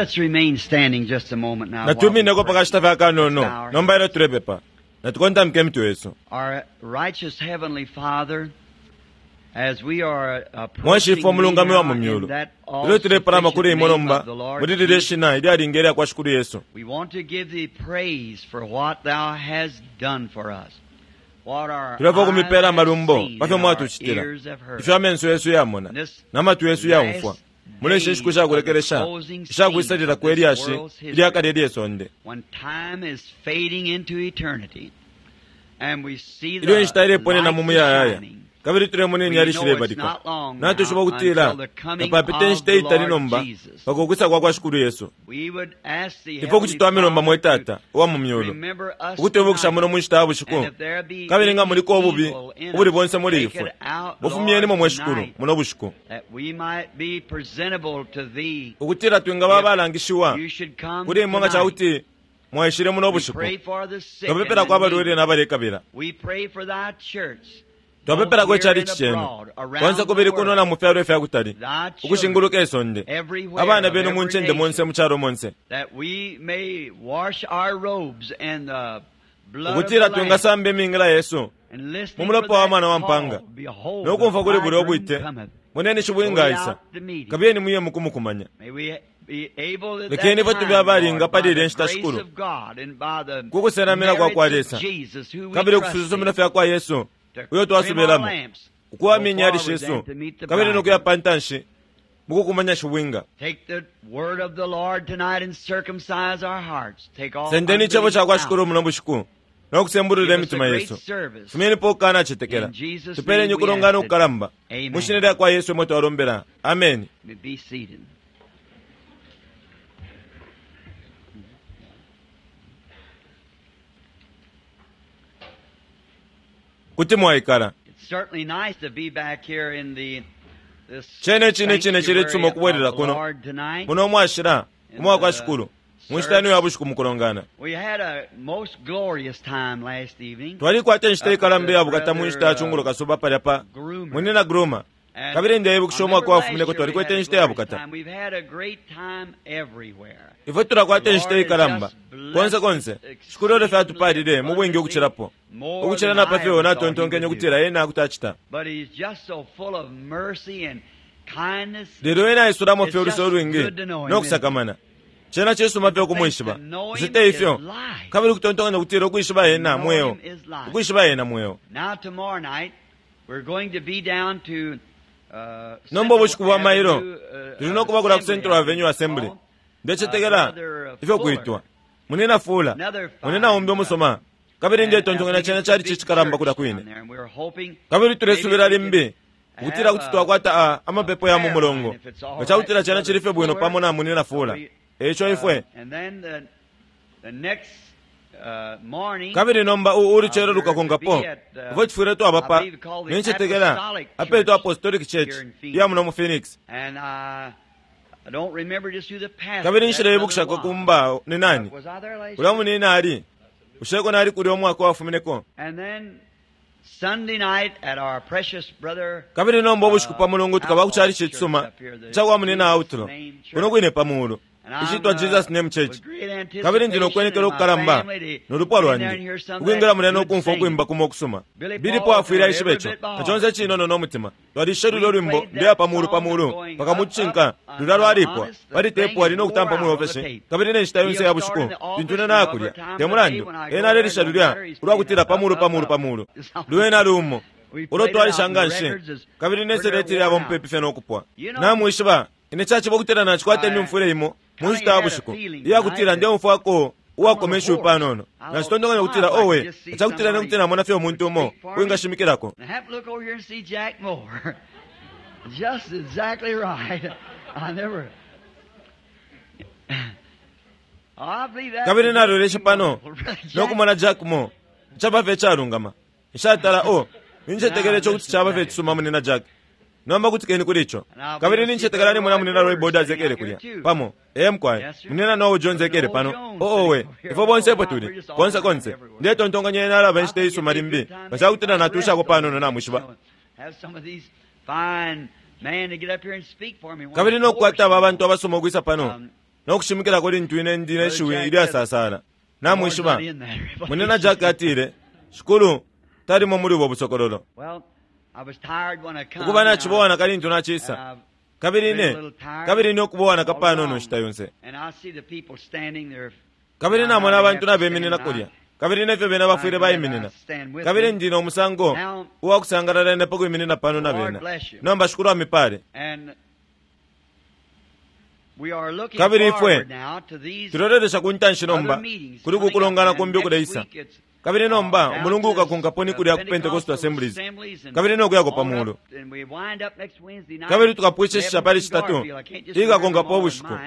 Let us remain standing just a moment now. while we Natumineko pray. pakashita fye akanono nomba ilyo tulepepa. Natukontamike imitwe yesu. Our righteous Heavenly Father, as we are approaching Mwashifwe thee umulungami wa now mu in myulu. that Ilyo tulepalama kuli imwe all-sufficient name nomba of the Lord muli lilye Jesus, shina ilyalinga ilya kwa Shikulu Yesu. we want to give thee praise for what thou hast done for us. What our Tulefwa eyes kumipela have amalumbo seen pa fyo and our mwatucitila. ears have heard. Ifyo amenso yesu yamona This na matwi yesu yaumfwa. last Muli ishi nshiku sha days of the kulekelesha closing isha kwisalila scene kwe of this lyashi world's history, ilyakale ilye sonde. when time is fading into eternity, and we see Ilyo the inshita ileponena mu lights muyayaya shining, kabili tulemona we inyali know it's shilebalika. not long now Natwishiba ukutila until the coming tapapita of inshita the iitali Lord nomba Jesus. pakukwisa kwa kwa Shikulu Yesu. We would ask the Ifwe Heavenly kuti twamilomba mwe Father Tata to uwa mu myulu remember us ukutwibukisha tonight. muno mu nshita ya bushiku And if there be kabili nga any muliko ububi evil in ubuli us, bonse muli take ifwe it out, bufumyenimo Lord, mwe Shikulu tonight, muno bushiku that we might be presentable to thee. ukutila twingaba abalangishiwa You should come kuli imwe nga tonight. cakuti mwaishile muno We bushiku. pray for the sick and Twapepelako the abalwele needy. n'abalekabila. We pray for thy church, both Twapepelako here icali and cenu abroad, konse around the kubili kuno world, na mu fyalo ifya kutali thy children ukushinguluka isonde everywhere abana of benu mu every ncende monse nation, mu calo monse that we may wash our robes in the blood of ukutila the Lamb, twingasamba imingila yesu and mu listening for mulopa wa that mwana wa mpanga call, behold, no the kumfwa kuli bulya bridegroom ubwite cometh. moneni Go shibwinga ye aisa out to meet him. kabiyeni muye mukumukumanya. May we be able at Lekeni that ifwe tube time, abalinga Lord, pali by ilya the nshita grace Shikulu of God and by the ku kusenamina kwa kwa merits Lesa of Jesus, who we kabili trust in, kususumina fya kwa Yesu to uyo trim our twasubilamo lamps, go ukuwamya inyali forward shesu then to meet the kabili no kuya bridegroom. pa ntanshi mukukumanya shibwinga. Take the word of the Lord tonight and circumcise our hearts. Take all Sendeni icebo unbelief ca kwa Shikulu out. muno bushiku no kusembulula Give us a imitima great yesu. service. Fumyenipo ukukanacetekela. In Jesus' Tupeeleni name we ukulongana ask it. ukukalamba mu shina Amen. lya kwa Yesu emwe twalombela. Ameni. You may be seated. Kuti mwaikala. It's certainly nice to be back here in the this Cene cine cine cili sanctuary cisuma of ukubwelela the kuno Lord tonight. muno mwashila In umwa kwa the Shikulu mu nshita ino service. ya bushiku mukulongana. We had a most glorious time last evening Twalikwata inshita up at ikalamba the iya bukata mu nshita ya brother cungulo kasuba palya pa Groomer. munina Groomer. And Kabili I ndeibukisha remember umwaka last wafumineko year we twalikwete had a inshita ya glorious bukata. time. We've had a great time everywhere. Ifwe The tulakwata inshita Lord has ikalamba just konse blessed konse us Shikulu olyo exceedingly fyatupalile mu bwingi abundantly, ukucilapo more ukucila than na pa I fyo ever thought He natontonkenye would do. ukutila ena kuti acita. But He's just so full of mercy and kindness. Lelo ena aisulamo It's fye uluse just ulwingi good to know Him, no isn't it? kusakamana. Cena cisuma And fye to think ukumwishiba. to know Him Bushe is ifyo life. kabili ukutontonkanya ukutila ukwishiba To ena know mweo Him is life. ukwishiba ena mweo. Now tomorrow night we're going to be down to Nomba Central ubushiku bwa mailo Avenue tuli no kuba kula ku Assembly, Central I Avenue think it's Assembly. called. Ndecetekela Brother ifyo Fuller, kwitwa munina Fula another munina fine umbi brother. umusoma kabili And I ndetontonkanya think cena it's a cali big cicikalamba kulya church down kwine. there, and we're hoping Kabili maybe tulesubila we can limbi ukutila have kuti a twakwata a amapepo ya mu prayer line mulongo if it's all nga right cakutila with cena Brother cili fye bwino Fuller. pamo na munina Fula. We, Eico ifwe and then the next morning, kabili nomba ulucelo we're to lukakonkapo be at, ifwe tifwile twaba I pa believe called the nincetekela Apostolic apeetwa Church Apostolic Church here in iya Phoenix. muno mu Phoenix. And I don't remember just who the pastor Kabili that brother nshileibukishako was. kumba ni nani Was I there last ulya year? munina ali usheko nali kulya umwaka wafumineko. And then Sunday night at our precious brother Kabili nomba ubushiku pa mulungu tukaba ku Outlaw's chali church cisuma up here, the ca kwa munina Jesus Outlaw Name kuno Church. kwine pa mulu And I'm icitwa Jesus Name with Church. great Kabili ndi anticipation nokwenekela and my ukukalamba family to no lupwa get in there and lwandi hear some of ukwingila that mulya no good kumfwa singing. ukwimba kumo okusuma. Billy Billy Paul Paul afwile heard aishiba every ico bit by na heart. conse cinono no mutima. Twalishe lulyo We lwimbo played ndeya that pa mulu pa song mulu going paka up, mucinka up lulya until I'm lwalipwa honest, the pali thing tepu is ali no wore kutampa out mu on the ofesi tape. kabili ne nshita yonse He'll ya start bushiku in the lintu office ine and nakulya every time te of the day mulandu when I go ena there, alelisha no lulya matter, he's ulwa playing kutila up, pa up, mulu pa up, mulu pa up. mulu It's all lwena lumo We ulo played it out twalisha in the nga nshi records is kabili ne pretty seleti worn lyaba out. mupepi fye no kupwa. You know, Namwishiba ine caciba ukutila nacikwata I imyumfwile imo mu kind of nshita ya had a bushiku feeling iya tonight kutila that ndeumfwako I'm on a uwakomesha horse. panono. I thought, Nacitontonkanya my, ukutila if I could owe just see cakutila somebody nekuti namona fye would umuntu umo speak for me. uwingashimikilako. And I happened to look over here and see Jack Moore. Just exactly right. I never. Oh, I believe that Kabili was just naloleshe too pano wonderful. Brother no Jack. kumona Jack Moore caba fye calungama. Nshatala o nincetekela Now ico kuti listen caba to fye that. cisuma munina Jack. Nomba kutikeni kuli ico. And I'll be Kabili able to see nincetekela Brother nimona Roy munina Roy Borders Borders sitting ekele out here kulya too. pamo. Ee mukwaye Yes, sir. munina Noel Jones Brother ekele Noel pano. Jones Oowe sitting over here. ifwe bonse Oh epo my, we're tuli just all konse around konse. everywhere. Ndetontonkanya ena alaba I inshita think it'd isuma be a limbi good time nga maybe cakutila to natushako rest a panono little bit, you namwishiba. know, have some of these fine men to get up here and speak for me when Kabili I'm no kukwata hoarse, aba you bantu know. abasoma ukwisa pano. no kushimikilako lintu ine ndi ne shiwi ilyasasala. Namwishiba, Munyina Jack atile, Shikulu talimo muli ubo busokololo. Ukuba nacibowa naka lintu nacisa, kabili ine, kabili ine ukubowa naka panono inshita yonse. Kabili namona abantu nabeminina kulya, kabili nefyo bena bafwile baiminina. Kabili ndi no musango uwa kusangalala ine pa kwiminina pano na bena. Nomba Shikulu amipale. Kabili ifwe tulelolesha ku ntanshi nomba kuli ku kulongana kumbi ukuleisa. Kabili nomba umulungu ukakonkapo ni kulya ku Pentecostal Assemblies, kabili no kuyako pa mulu. Kabili tukapwishishisha pali Citatu ikakonkapo ubushiku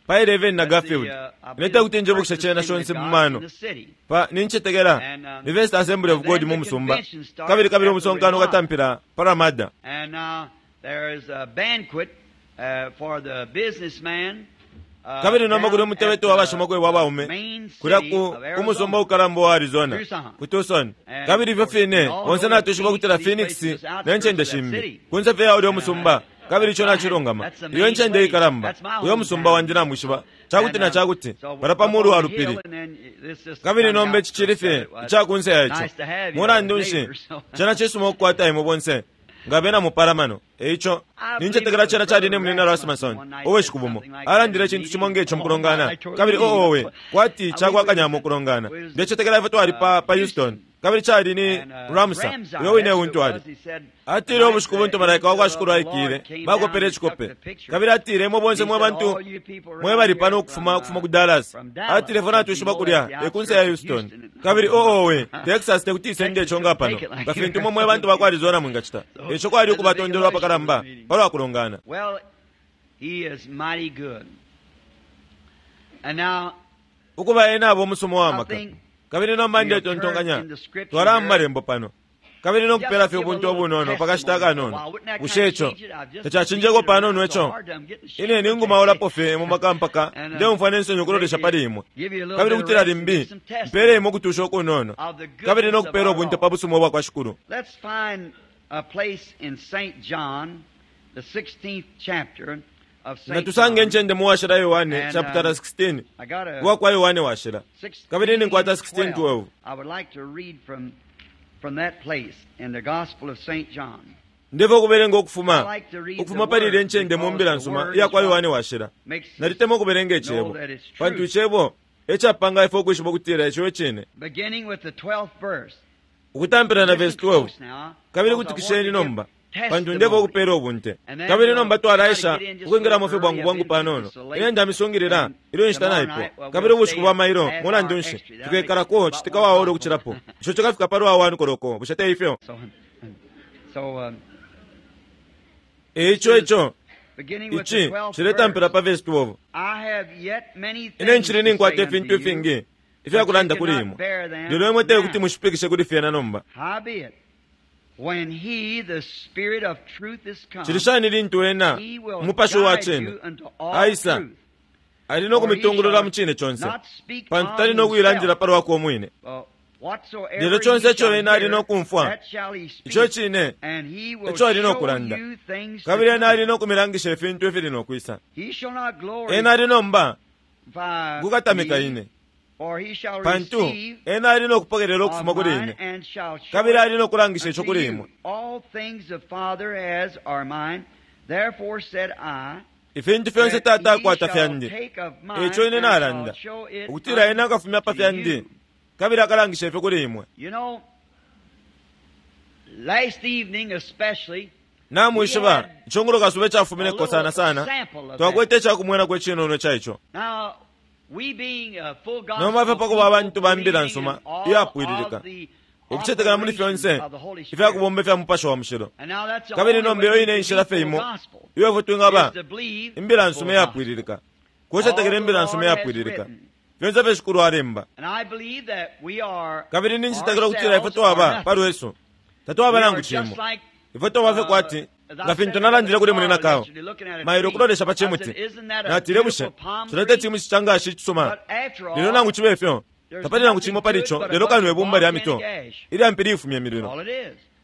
pa 11 na Garfield. Ine tekuti njibukishe cena shonse mu mano. Pa nincetekela ni First Assembly of God mu musumba. Kabili kabili umusonkano ukatampila pa Ramada. Kabili nomba kuli umutebeto wa bashimakwebo abaume kulya ku, ku musumba ukalamba wa Arizona, ku Tucson. Kabili ifyo fine, bonse natwishiba ukutila Phoenix ne ncende shimbi, kunse fye ya ulyo musumba, kabili ico nacilungama. Iyo ncende ikalamba, uyo musumba wandi namwishiba, cakuti na cakuti, palya pa mulu wa lupili. Kabili nomba ici cili fye ica kunse ya ico. Mulandu nshi, cena cisuma ukukwata imwe bonse nga bena mupalamano. E ico, nincetekela cena cali ni Munyina Rasmussen, ubushiku bumo, alandile icintu cimo nge co mukulongana. Kabili, oh, owe, kwati cakwakanyamo ukulongana. Ndecetekela ifwe twali pa, pa Houston. Kabili cali ni Ramsa, uyo wine untu ali. Atile ubushiku buntu malaika wa kwa Shikulu aikile, bakopele icikope. Kabili atile, Imwe bonse mwe bantu mwe bali pano ukufuma, ukufuma ku Dallas. Atile, Ifwe natwishiba kulya e kunse ya Houston. Kabili, oh, owe, Texas tekuti isende ico nga pano, nga fintu imwe mwe bantu ba ku Arizona mwingacita. Eico kwali ukubatondolo apakalamba palwa kulongana. Ukuba ena aba umusumo wa maka. Kabili nomba ndetontonkanya twalaya mu Malembo pano, kabili no kupela fye ubunte ubunono pa kashita akanono. Bushe ico tacacinjeko panono ico? Ine ningumaulapo fye mu maka mpaka ndeumfwa ne nsoni ukulolesha pali imwe, kabili kutila limbi mpele imwe ukutusha ukunono, kabili no kupela ubunte pa busuma ubwa kwa Shikulu. Let's find a place in St. John, the 16th chapter. Natusange incende mu Washila Yohane chaputala 16 uwakwa Yohane Washila, kabili ninkwata 16:12. Ndefwaya ukubelenga ukufuma ukufuma pali ilya incende mu Mbila nsuma iyakwa Yohane Washila. Nalitemwa ukubelenga Icebo, pantu Icebo e capanga ifwe ukwishiba ukutila ico e Cine. Ukutampila na vesi 12, kabili kutikisheni nomba, pantu ndefwaya ukupela ubunte. Kabili nomba twalaesha ukwingilamo fye bwangu bwangu panono. Ine ndamisungilila ilyo inshita naipwa. Kabili ubushiku bwa mailo, mulandu nshi, tukekalako citika wa ora ukucilapo. Ico cikafika palwa 1 koloko, bushe te ifyo? E ico, ico, ici ciletampila pa vesi 12. Ine ncili ninkwata ifintu ifingi ifya kulanda kuli imwe, lelo imwe te kuti mushipikishe kuli fyena nomba. Cili shani lintu Ena, Umupashi uwa Cine, aisa, Ali no kumitungulula mu Cine conse, pantu Tali no kuilandila pa lwakwe umwine. Lelo conse ico Ena ali no kumfwa, ico cine eco Ali no kulanda, kabili Ena ali no kumilangisha ifintu ifili no kwisa. Ena ali nomba kukatamika Ine, pantu Ena ali no kupokelela ukufuma kuli Ine, kabili ali no kulangisha ico kuli imwe. Ifintu fyonse Tata akwata fyandi, eico Ine nalanda, ukutila Ena akafumya pa fyandi, kabili akalangisha ifyo kuli imwe. Namwishiba, icungulo kasuba icafumineko sana sana, twakwete icakumwenako icinono ica ico. Nomba fye pa kuba abantu ba Mbila nsuma iyapwililika, ukucetekela muli fyonse ifya kubomba ifya Mupashi wa Mushilo. Kabili nomba iyo ine inshila fye imo iyo ifwe twingaba Imbila nsuma iyapwililika, kucetekela Imbila nsuma iyapwililika, fyonse ifyo Shikulu alemba. Kabili nincetekela ukutila ifwe twaba pa lwesu, tatwaba nangu cimo. Ifwe twaba fye kwati nga fintu nalandile kuli Munyina Carl mailo ukulolesha pa cimuti. Natile, Bushe cilya te cimuti ca ngashi icisuma? Lelo nangu cibe fyo, tapali nangu cimo pali ico lelo kano ibumba lya mito ilya mpili ifumya imililo.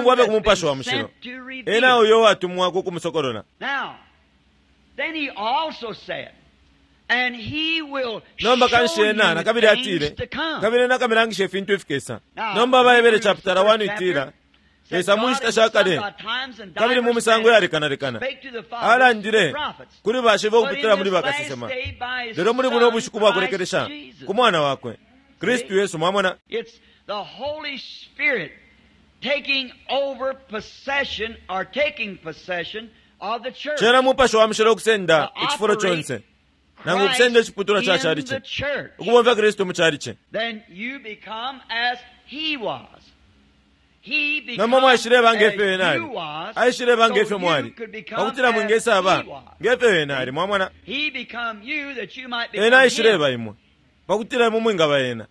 Umulungu abe ku Mupashi wa Mushilo. Ena uyo watumwa ku kumusokolola. Nomba kanshi ena nakabili atile, kabili ena akamilangisha ifintu ifikesa. Nomba Baibele chapitala 1 itila, Lesa mu nshita sha kale kabili mu misango yalekanalekana alandile kuli bashibo ukupitila muli bakasesema, lelo muli buno bushiku bwa kulekelesha ku Mwana wakwe Kristu Yesu. Mwamona, cena Mupashi wa Mushilo ukusenda icifulo conse nangu ukusenda iciputulwa ca calici, ukubomfya Kristu mu calici. Nomba mwaishileba nge fyo ena ali, aishileba nge fyo mwali, pakutila mwingesaba nge fyo ena ali. Mwamona, ena aishileba imwe pakutila imwe mwingaba ena.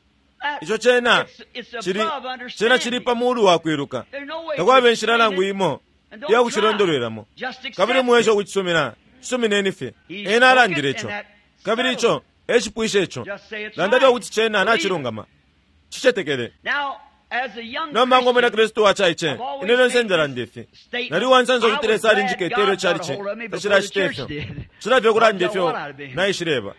Ico cena cili, cena cili pa mulu wa kwiluka. Takwaba inshila nangu imo iya kucilondolwelamo, kabili mwesha ukucisumina. Cisumineni fye. Ena alandile ico, kabili ico e cipwisha ico. Landa fye ukuti cena nacilungama, cicetekele. Nomba ngo mwina Kristu wacaice, ine lyonse ndalanda ifi. Nali uwansansa ukuti Lesa alinjikete ilyo calici tacilacita ifyo. Cilafye ukulanda ifyo naishileba.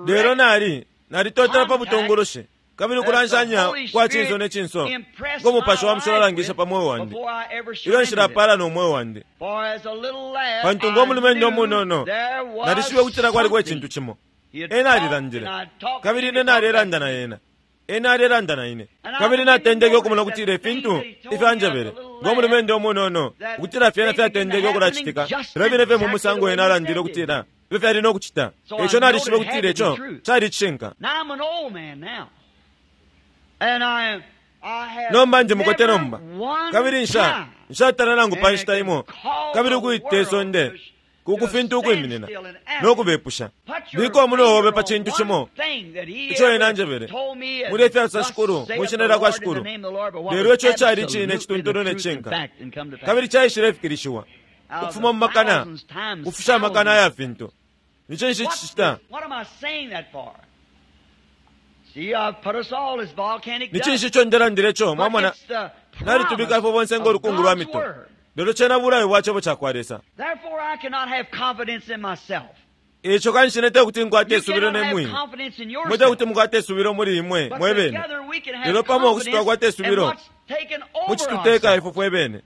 Lelo nali nalitotela pa butungulushi kabili ukulanshanya kwa cinso ne cinso ngo Mupashi wa Mushilo alangisha pa mweo wandi ilyo nshilapala no mweo wandi. Pantu ngo mulumendo umunono nalishibe ukutila kwaliko icintu cimo. Ena alilandile, kabili ine nalelanda na ena, ena alelanda na ine, kabili natendeke ukumona ukutila ifintu ifyo anjebele ngo mulumendo umunono ukutila fyena fyatendeke ukulacitika filya fine fye mu musango ena alandile ukutila ifyo fyali no kucita. Ico nalishibe ukutila ico cali icishinka. Nomba ndi mukote nomba, kabili nsha nshatala nangu pa nshita imo kabili ukuita isonde ku fintu ukwiminina no kubepusha. Bika umunwe obe pa cintu cimo ico ena anjebele muli ifyasosa Shikulu mwi shina lya kwa Shikulu, lelo ico cali icine icituntulu ne cishinka, kabili caishilefikilishiwa ukufuma mu makana kufusha amakana aya fintu. Ni cinshi cicita? Ni cinshi ico ndelandile ico? Mwamona, nalitubika ifwe bonse ngo lukungu lwa mito, lelo cena bulayo bwa cebo cakwa Lesa. Ico kanshi ine tekuti nkwate isubilo ne mwine, mwe tekuti mukwate isubilo muli imwe mwe bene, lelo pamo kuti twakwata isubilo mucituteka ifwe fwe bene.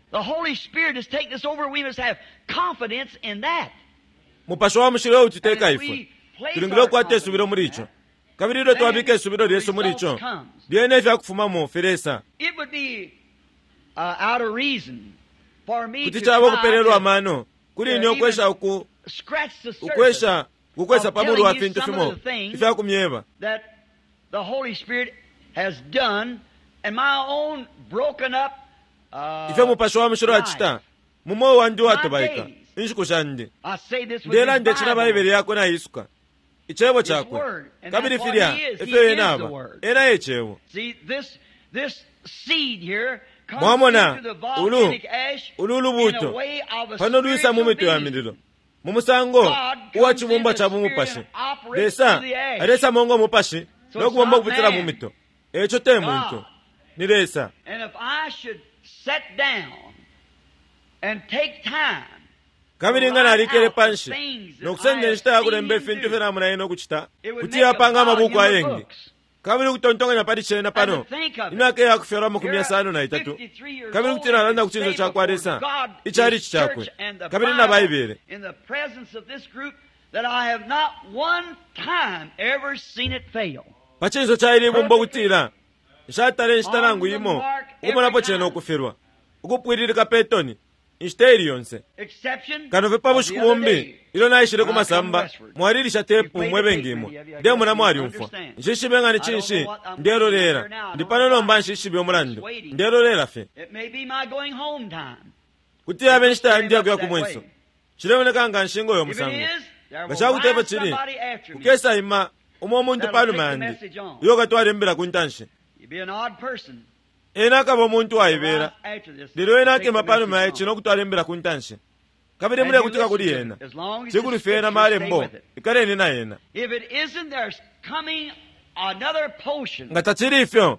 Mupashi wa Mushilo eututeka ifwe, tulingile ukukwata isubilo muli ico. Kabili ilyo twabika isubilo lyesu muli ico, lyena ifyakufumamo filesa. Kuti caba ukupelelwa amano kuli ine ukwesha uku ukwesha kukwesa pa mulu wa fintu fimo ifyakumyeba ifyo Mupashi wa Mushilo acita mu mweo wandi uwatobaika inshiku shandi. Ndelanda ici na Baibele yakwe naisuka, Icebo cakwe, kabili filya efyo ena aba. Ena e Cebo. Mwamona, ulu ulu lubuuto pano lwisa mu mito ya mililo mu musango uwa cibumbwa ca bumupashi. Lesa alesamo ngo mupashi no kubomba ukupitila mu mito. Eco te muntu, ni Lesa. Kabili nga nalikele panshi no kusenda inshita ya kulemba ifintu ifyo namona ena ukucita, kuti yapanga amabuku ayengi. Kabili ukutontonkanya pali cena pano, imyaka iya kufyalwa 53, kabili kuti nalanda ku cinso cakwa Lesa, icalici cakwe, kabili na Baibele. Pa cinso ca ili ibumba ukutila nshatala inshita nangu imo ukumonapo cena ukufilwa, ukupwililika pe toni inshita ili yonse, kano fye pa bushiku bumbi ilyo naishile ku masamba. Mwalilisha tepu mwe bengi imwe, ndemona mwalyumfwa. Nshishibe nga ni cinshi ndelolela. Ndi pano nomba, nshishibe umulandu ndelolela fye. Kuti yaba inshita yandi yakuya ku mwenso. Cilemoneka nga nshingo yo musango. Nga ca kuti epo cili, kukesa ima umo umuntu panuma yandi uyo ukatwala imbila ku ntanshi. Ena akaba umuntu waibela, lelo ena akema panuma ya ici no kutwala imbila ku ntanshi. Kabili mulekutika kuli ena, cikulu fye ena malembo, ikaleni na ena. Nga tacili ifyo,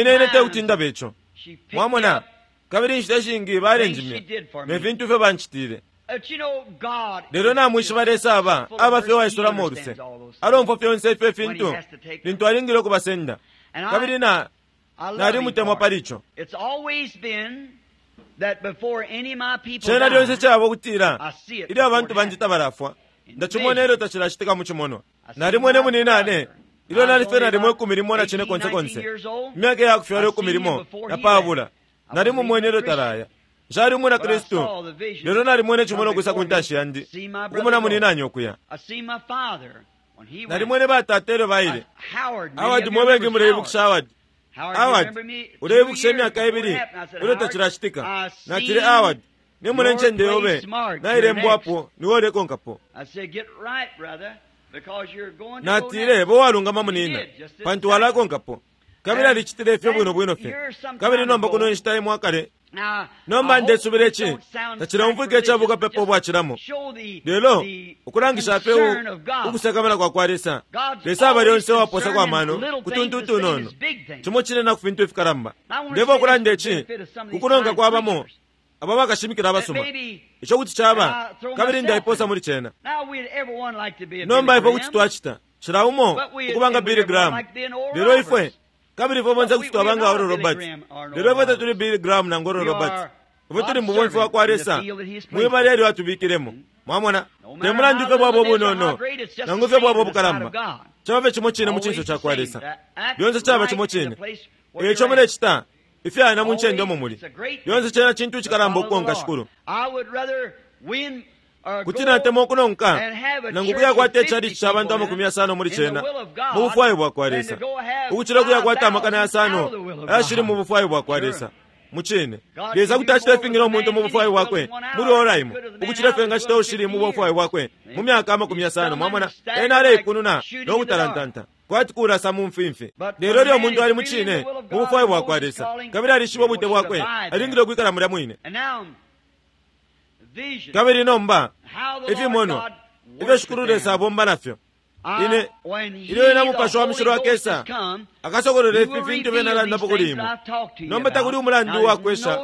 Ine ine te kuti ndabe ico. Mwamona? Kabili inshita ishingi balenjimya ne fintu ifyo bancitile. Lelo namwishiba Lesa aba, aba fye uwaisulamo uluse. Alomfwa fyonse ifyo ifintu lintu alingile ukubasenda. Kabili na. Nalimutemwa pali ico. Cena lyonse caba ukutila ilyo abantu bandi tabalafwa, ndacimona ilyo tacilacitika mu cimonwa. Nalimwene muninane ilyo nali fye nalimo 14 konse konse, imyaka ya kufyalwa 12. Nalimumwene ilyo talaya. Nshali umwina Kristu, lelo nalimwene cimonwa ukwisa ku ntanshi yandi, ukumona muninanye ukuya. Nalimwene batata ilyo baile. Howard, mwe bengi muleibukisha Howard. Howard, uleibukisha imyaka ibili ilyo tacilacitika. Natile, Howard, nimona incende yobe nailembwapo, niwe ulekonkapo. Natile, bo walungama munina, pantu walakonkapo. Kabili alicitile ifyo bwino bwino fye. Kabili nomba kuno inshita imo akale. Nomba ndesubila ici tacileumfwika icabukapepa ubwacilamo, lelo ukulangisha fye ukusakamana kwa kwa Lesa. Lesa aba lyonse uwapoosako amano ku tuntu utunono, cimo cine na ku fintu ifikalamba. Ndefwaya ukulanda ici ku kunonka kwabamo aba bakashimikila abasuma, ico kuti caba, kabili ndaipoosa muli cena. Nomba ifwe kuti twacita cila umo ukuba nga Billy Graham, lelo ifwe kabili ifwe bonse kuti twaba nga Oral Roberts, lelo ifwe tatuli Billy Graham nangu Oral Roberts. Ifwe tuli mubomfi wa kwa Lesa mwibala elyo atubikilemo. Mwamona, te mulandu ifyo bwaba ubunono nangu ifyo bwaba ubukalamba, caba fye cimo cine mu cinso ca kwa Lesa. Lyonse caba cimo cine. Eico mulecita ifyana mu ncende umo muli. Lyonse cena cintu icikalamba ukukonka Shikulu. Kuti natemwa ukunonka nangu kuyakwata icalici ca bantu 50 muli cena mu bufwayo bwa kwa Lesa, ukucila kuyakwata 500 ayashili mu bufwayo bwa kwa Lesa. Mucine, Lesa kuti acita ifingi no muntu mu bufwayo bwakwe muli ora imo, ukucila ifyo engacita ushili mu bufwayo bwakwe mu myaka 50. Mwamona, ena aleipununa no kutalantanta kwati kulasa mu mfimfi. Lelo ilyo umuntu ali mucine mu bufwayo bwa kwa Lesa kabili alishiba ubwite bwakwe, alingile ukwikala mulya mwine. Kabili nomba ifimonwa ifyo Shikulu Lesa abomba nafyo, ine ilyo ena Mupashi wa Mushilo akesa, akasokolola ifi fintu bena alandapo kuli imwe. Nomba takuli umulandu uwakwesha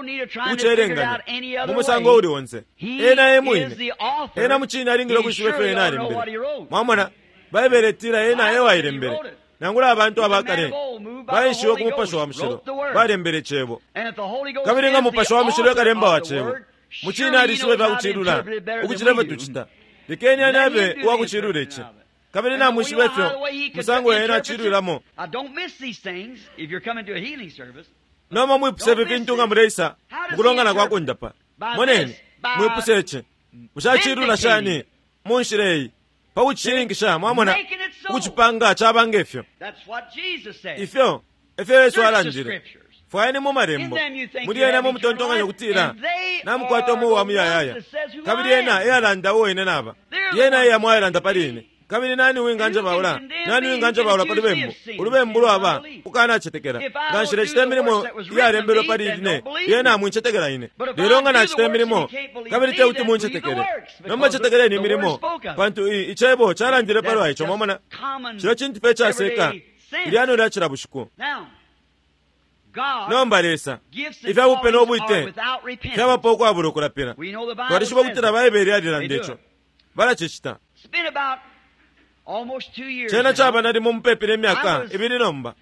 ukucelenganya mu musango uuli onse. Ena e mwine, ena mucine alingile ukwishiba ifyo ena alembele. Mwamona, Baibele itila ena e wailembele. Nangula abantu abakale baishiwe ku Mupashi wa Mushilo balembele Cebo. Kabili nga Mupashi wa Mushilo ekalemba wa Cebo, mucine alishiba ifya kucilula ukucila ifyo tucita. Lekeni ane abe uwakucilula ici. Kabili namwishiba ifyo musango ena acilwilamo. Nomba mwipuse ifi fintu nga muleisa mukulongana kwa kundapa. Moneni, mwipuse ici. Mushacilula shani mu nshila iyi pa kucishininkisha, mwamona, ukucipanga caba ngefyo. Ifyo efyo Yesu alandile. Fwayeni mu malembo, muli ena mutontonkanya ukutila namukwata umweo wa muyayaya, kabili ena eyalanda uo ine naba. Yena eyamo ayalanda pali ine. Kabili nani uwinganjabaula? Nani uwinganjabaula pa lubembu? Ulubembu lwaba ukanacetekela. Nga nshilecita imilimo iyalembelwe pali ine, yena amwincetekela ine. Lelo nga nacita imilimo, kabili te kuti muncetekele, nomba cetekeleni imilimo, pantu icebo calandile palwa ico. Mwamona, cilo cintu fye icaseka ilyano lya cila bushiku. Nomba Lesa, ifya bupe no bwite fyabapo ukwabula ukulapila. Twalishiba ukutila Baibele yalilanda ico. Balacicita. Cena caba nalimo mupepi ne myaka ibili nomba.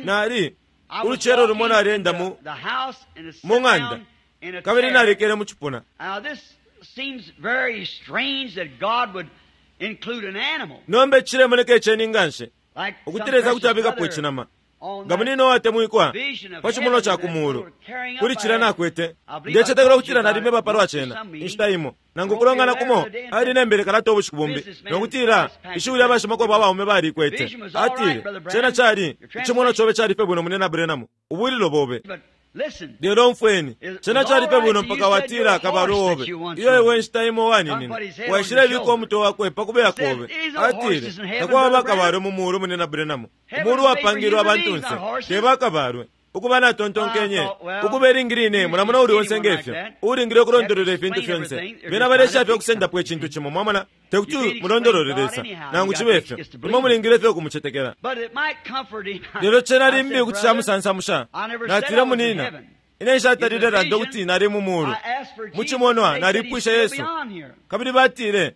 Nali ulucelo lumo nalienda mu mu ng'anda kabili nalikele mu cipuna. Nomba icilemoneka iceni nganshi ukuti Lesa kuti abikapo icinama nga munino uwatemwikwa pa cimonwa ca ku muulu kuli cilya nakwete. Ndecetekela ukutila nalimeba palwa cena inshita imo nangu kulongana kumo. Ali nembele kalata ubushiku bumbi nokutila ishiwi lya bashimakwebo abaume balikwete. Atile, cena cali icimonwa cobe cali fye bwino, munena Branham, ubwililo bobe. Lelo umfweni, cena cali fye bwino mpaka watila kabalwe obe iyo iwe inshita imo waninine waishile bika umutwe wakwe pa kubeya kobe. Atile, takwaba bakabalwe mu muulu, munena Branham. Umuulu wapangilwe abantunse, te bakabalwe. Ukuba natontonkenye ukuba ilingi line mulamona uli onse ngefyo uulingile ukulondolola ifintu fyonse. Bena balesha fye ukusendapo icintu cimo, mwamona, tekuti mulondolole Lesa nangu cibe fyo. Imwe mulingile fye ukumucetekela. Lelo cena limbi kuti camusansamusha. Natile, munina, ine nshatalile landa ukuti nali mu muulu. Mu cimonwa nalipwishe Yesu, kabili batile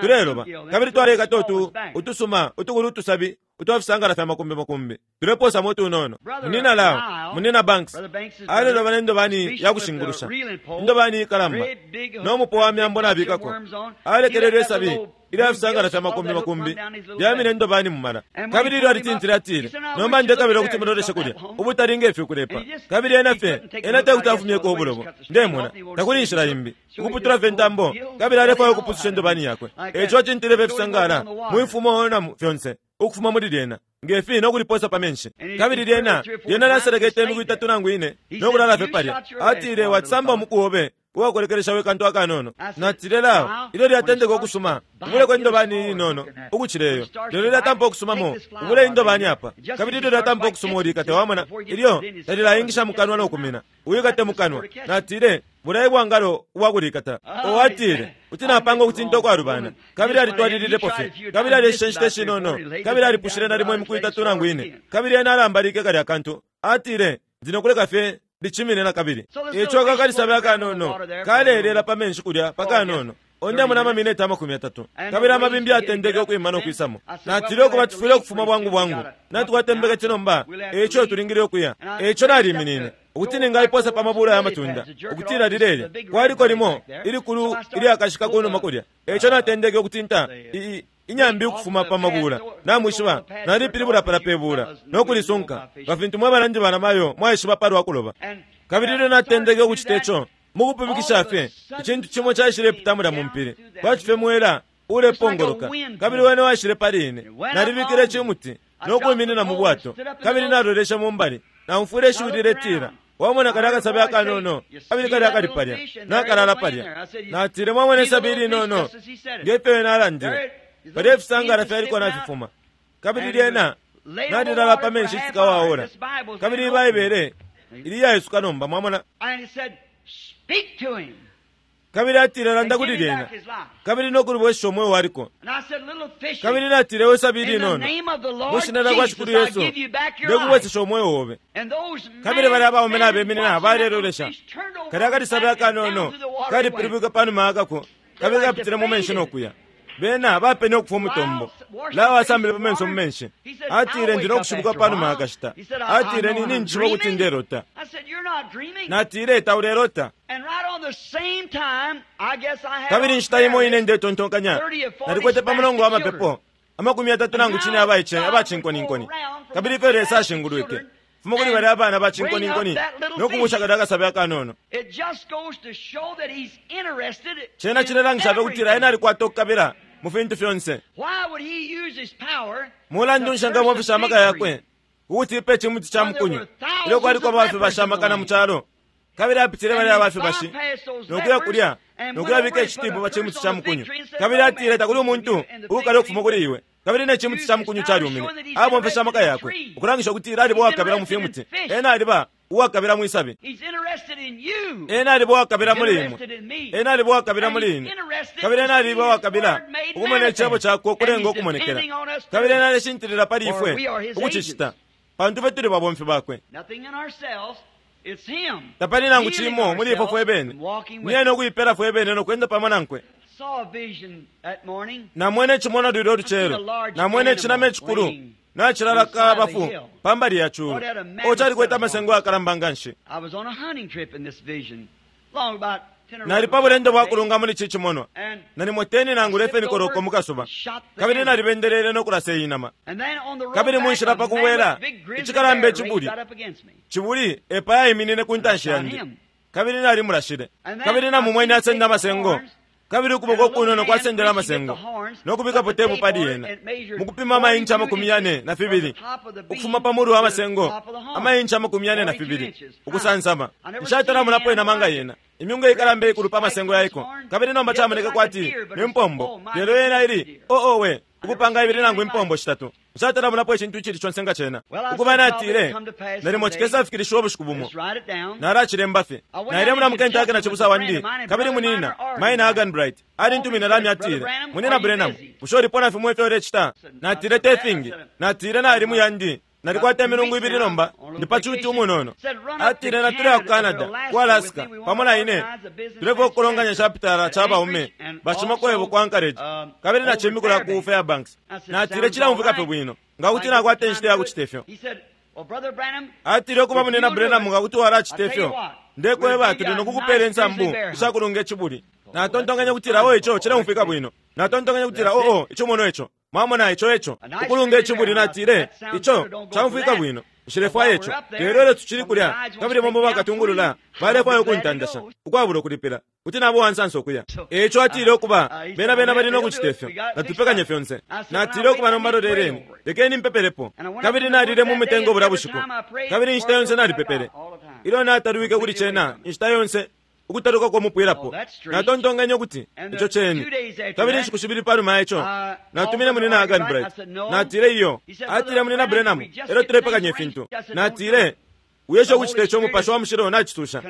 Tuleloba kabili twalekata utu utusuma utukulu utusabi utwa fisangala fya makumbi makumbi, tulepoosamo utunono. Munina Lao, Munina Banks aleloba ne ndobani ya kushingulusha, indobani ikalamba no mupo wa myambo nabikako. Alekelelwe isabi ilya fisangala fya makumbi makumbi lyamine indobani mumala. Kabili ilyo alitintile, atile, "Nomba ndekabila ukuti muloleshe kulya ubutali nge kulepa." Kabili ena fye, ena tekuti afumyeko ubulobo, ndemona takuli inshila imbi, ukuputula fye intambo. Kabili alefwaya ukupususha indobani yakwe, eco acintile fye fisangala mwifumo na fyonse ukufuma muli lyena. nge fi no kuliposa pa menshi. Kabili lyena, lyena lyaselekete imiku itatu nangu ine, no kulala fye palya. Atile, Wacisamba umuku obe uwakulekelesha we kantu akanono. Natile, Lao, ilyo lyatendeka ukusuma, ubuleko indobani iinono ukucila iyo. Lelo lyatampa ukusumamo, ubule indobani apa. Kabili ilyo lyatampa ukusuma ulikate, wamona, ilyo talilaingisha mukanwa no kumina. Uikate mukanwa. Natile, Bulaye bwangalo ubwakulikata. O atile, Kuti napanga ukutinta ukwalubana. Kabili alitwalililepo fye. Kabili aleshishe inshita ishinono. Kabili alipushile nalimo imiku itatu nangu ine. Kabili ena alambalike kalya kantu. Atile, Ndi no kuleka fye licimine na kabili. Eico aka kalisabi akanono kaleelela pa menshi kulya pa kanono. Ondemona amamineti 30. Kabili amabimbi yatendeke ukwima no kwisamo. Natile, Ukuba, tufwile ukufuma bwangu bwangu. Natukwata imbeketi nomba, eico tulingile ukuya. Eico naliminine, ukuti ningaiposa pa mabula ya matunda, ukutila lilelya. Kwaliko limo ilikulu ilyakashika kunuma kulya. Eico natendeke ukutinta i, i, inyambi ukufuma pa mabula. Namwishiba, nalipilibula pala pe bula, no kulisunka, nga fintu mwe banandi banamayo mwaishiba palwa kuloba. Kabili ilyo natendeke ukucita ico, mukupumikisha fye, icintu cimo caishilepita mulya mu mpili, kwati fye mwela ulepongoloka, kabili wene waishile pali ine. Nalibikile icimuti no kwiminina mu bwato, kabili naloleshe mu mbali. Naumfwile ishiwi liletila, Wamona kalya akasabi akanono, kabili kalya kali palya, nakalala palya. Natile, Mwamona isabi ilinono, nge fyo wene alandile, palya ifisangala fyaliko nafifuma. Kabili lyena nalilala pa menshi citika wa ora. Kabili iyi Baibele ili iyaisuka nomba, mwamona. Kabili atile, Landa kuli lyena, kabili no kulibwesesha umweo waliko. Kabili natile, We sabi ilinono, mwi Shina lyakwa Shikulu Yesu, ndekubwesesha umweo obe. Kabili balya abaume nabeminina balelolesha. Kalya kalisabi akanono kalipilibwike panuma yakako, kabili kapitile mu menshi no kuya. Bena bapene ukufwa umutombo. Lawe asambile pa menso mu menshi. Atile, Ndi no kushibuka pa numa ya kashita. Atile, Ni, ninjishiba ukuti ndelota. Natile, Taulelota. Kabili inshita imo ine ndetontonkanya nalikwete pa mulongo wa mapepo 34 abaice aba cinkoninkoni. Kabili ifyo Lesa ashingulwike fuma kuli balya abana ba cinkoninkoni no kubusha kalya akasabi akanono. Cena cilelangisha fye ukutila ena alikwata ukukabila mu fintu fyonse. Mulandu nshi angabomfesha amaka yakwe ukutipa icimuti ca mukunyu ilyo kwaliko aba fibashi amakana mu calo? Kabili apitile balya aba fibashi no kuya kulya no kuyabika icitipu pa cimuti ca mukunyu. Kabili atile takuli umuntu uukali ukufuma kuli iwe. Kabili ne cimuti ca mukunyu calyumine. Abomfeshe amaka yakwe ukulangisha ukutila aliba uwakabila mu fimuti. Ena aliba uwakabila mwi sabi. Ena aliba uwakabila muli imwe. Ena aliba uwakabila muli ine. Kabili ena aliba uwakabila ukumona Icebo Cakwe ukulenga ukumonekela. Kabili ena aleshintilila pali ifwe ukucicita, pantu ifwe tuli babomfi Bakwe. Tapali nangu cimo muli ifwe fwebene. Ni Ena ukuipela fwebene no kwenda pamo Nankwe. Namwene icimonwa lulyo lucelo. Namwene icinama icikulu nacilala kabafu pa mbali ya culu. O, calikwete amasengo ayakalamba nganshi. Nali pa bulendo bwa kulunga muli ici cimonwa, nalimo 10 nangu 11 koloko mu kasuba, kabili nalibendelele no kulasa iyi nama. Kabili mu nshila pa kubwela, icikalamba icibuli, cibuli epayaiminine ku ntanshi yandi, kabili nalimulashile. Kabili namumwene asenda amasengo. Kabili ukuboko ukunono kwasendele amasengo, no kubikapo tepu pali yena, mukupima amainchi 42, ukufuma pa mulu wa masengo, amainchi 42, ukusansama. Nshatala monapo inama nga yena, imyunga ikalamba ikulu pa masengo yaiko. Kabili nomba camoneke kwati ni mpombo, lelo yena ili, oh, owe, ukupanga ibili nangu impombo shitatu. Nshatala monapo icintu icili conse nga cena. Ukuba natile, nalimo cikesafikilishiwa ubushiku bumo. Nalacilemba fye. Naile muna mu Kentucky na cibusa wandi, kabili munina, Maina Arganbright, alintumine lamya atile, Munina Branham, bushe ulipo na fimo ifyo ulecita? Natile, te fingi. Natile, nali mu yandi. Nalikwata imilungu ibili nomba, ndi pa cuti umunono. Atile, Natuleya ku Canada, ku Alaska, pamo na ine. Tulefwaya ukukolonganya icapitala ca baume bashimakwebo ku Anchorage, kabili na cimbi kulya ku Fairbanks. Natile, Cileumfwika fye bwino, nga kuti nakwata inshita ya kucite fyo. Atile, Ukuba, Munyina Branham, nga kuti walacite fyo, ndekweba, tuli no kukupela insambu isha kulunga icibuli. Natontonkenye ukutila, Oh, ico cileumfwika bwino. Natontonkenye ukutila, Oh, oh, icimonwa ico. Mwamona, ico eco. Ukulunga icibuli, natile, Ico caumfwika bwino. Nshilefwaya ico. Lelo ilyo tucili kulya, kabili bamo bakatungulula balefwaya ukuntandasha ukwabula ukulipila, kuti naba uwansansa ukuya. E ico atile ukuba, bena bena bali no kucita ifyo. Natupekanye fyonse. Natile ukuba nomba loleleni, lekeni mpepelepo. Kabili nalile mu mitengo bulya bushiku. Kabili inshita yonse nalipepele. Ilyo natalwike kuli cena, inshita yonse ukutaluka kwa mupwilapo, natontonkenye ukuti ico ceni. Kabili inshiku shibili panuma ya ico, natumine Munyina Arganbright. Natile iyo. Atile, Munyina Branham, elyo tulepekanya ifintu. Natile, Wiesha ukucita ico, Umupashi wa Mushilo nacisusha.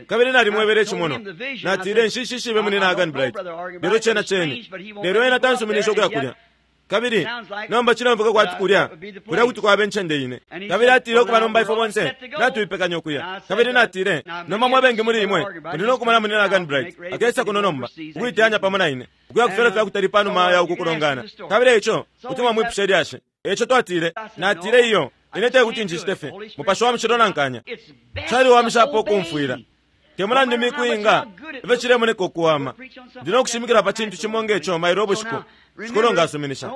Kabili nalimwebele icimonwa. Natile, Nshishishibe Munyina Arganbright, lelo cena ceni. Lelo ena tansuminishe ukuya kulya. Kabili nomba cileumfwika kwati kulya, kulya kuti kwaba incende ine. Kabili atile ukuba nomba ifwe bonse natuipekanya ukuya. Kabili natile, Nomba mwe bengi muli imwe muli no kumona Munyina Arganbright akesa kuno nomba, ukuiteyanya pamo na ine, ukuya ku fyalo fya kutali panuma ya uku kulongana. Kabili eico kuti mwamwipusha ilyashi. Eico twatile, natile, Iyo, ine tekuti ncicite fye. Mupashi wa Mushilo nankanya. Caliwamishapo ukumfwila. Te mulandu imiku inga ifyo cilemoneka ukuwama, ndi no kushimikila pa cintu cimo nge co mailo ubushiku, Shikulu nga asuminisha.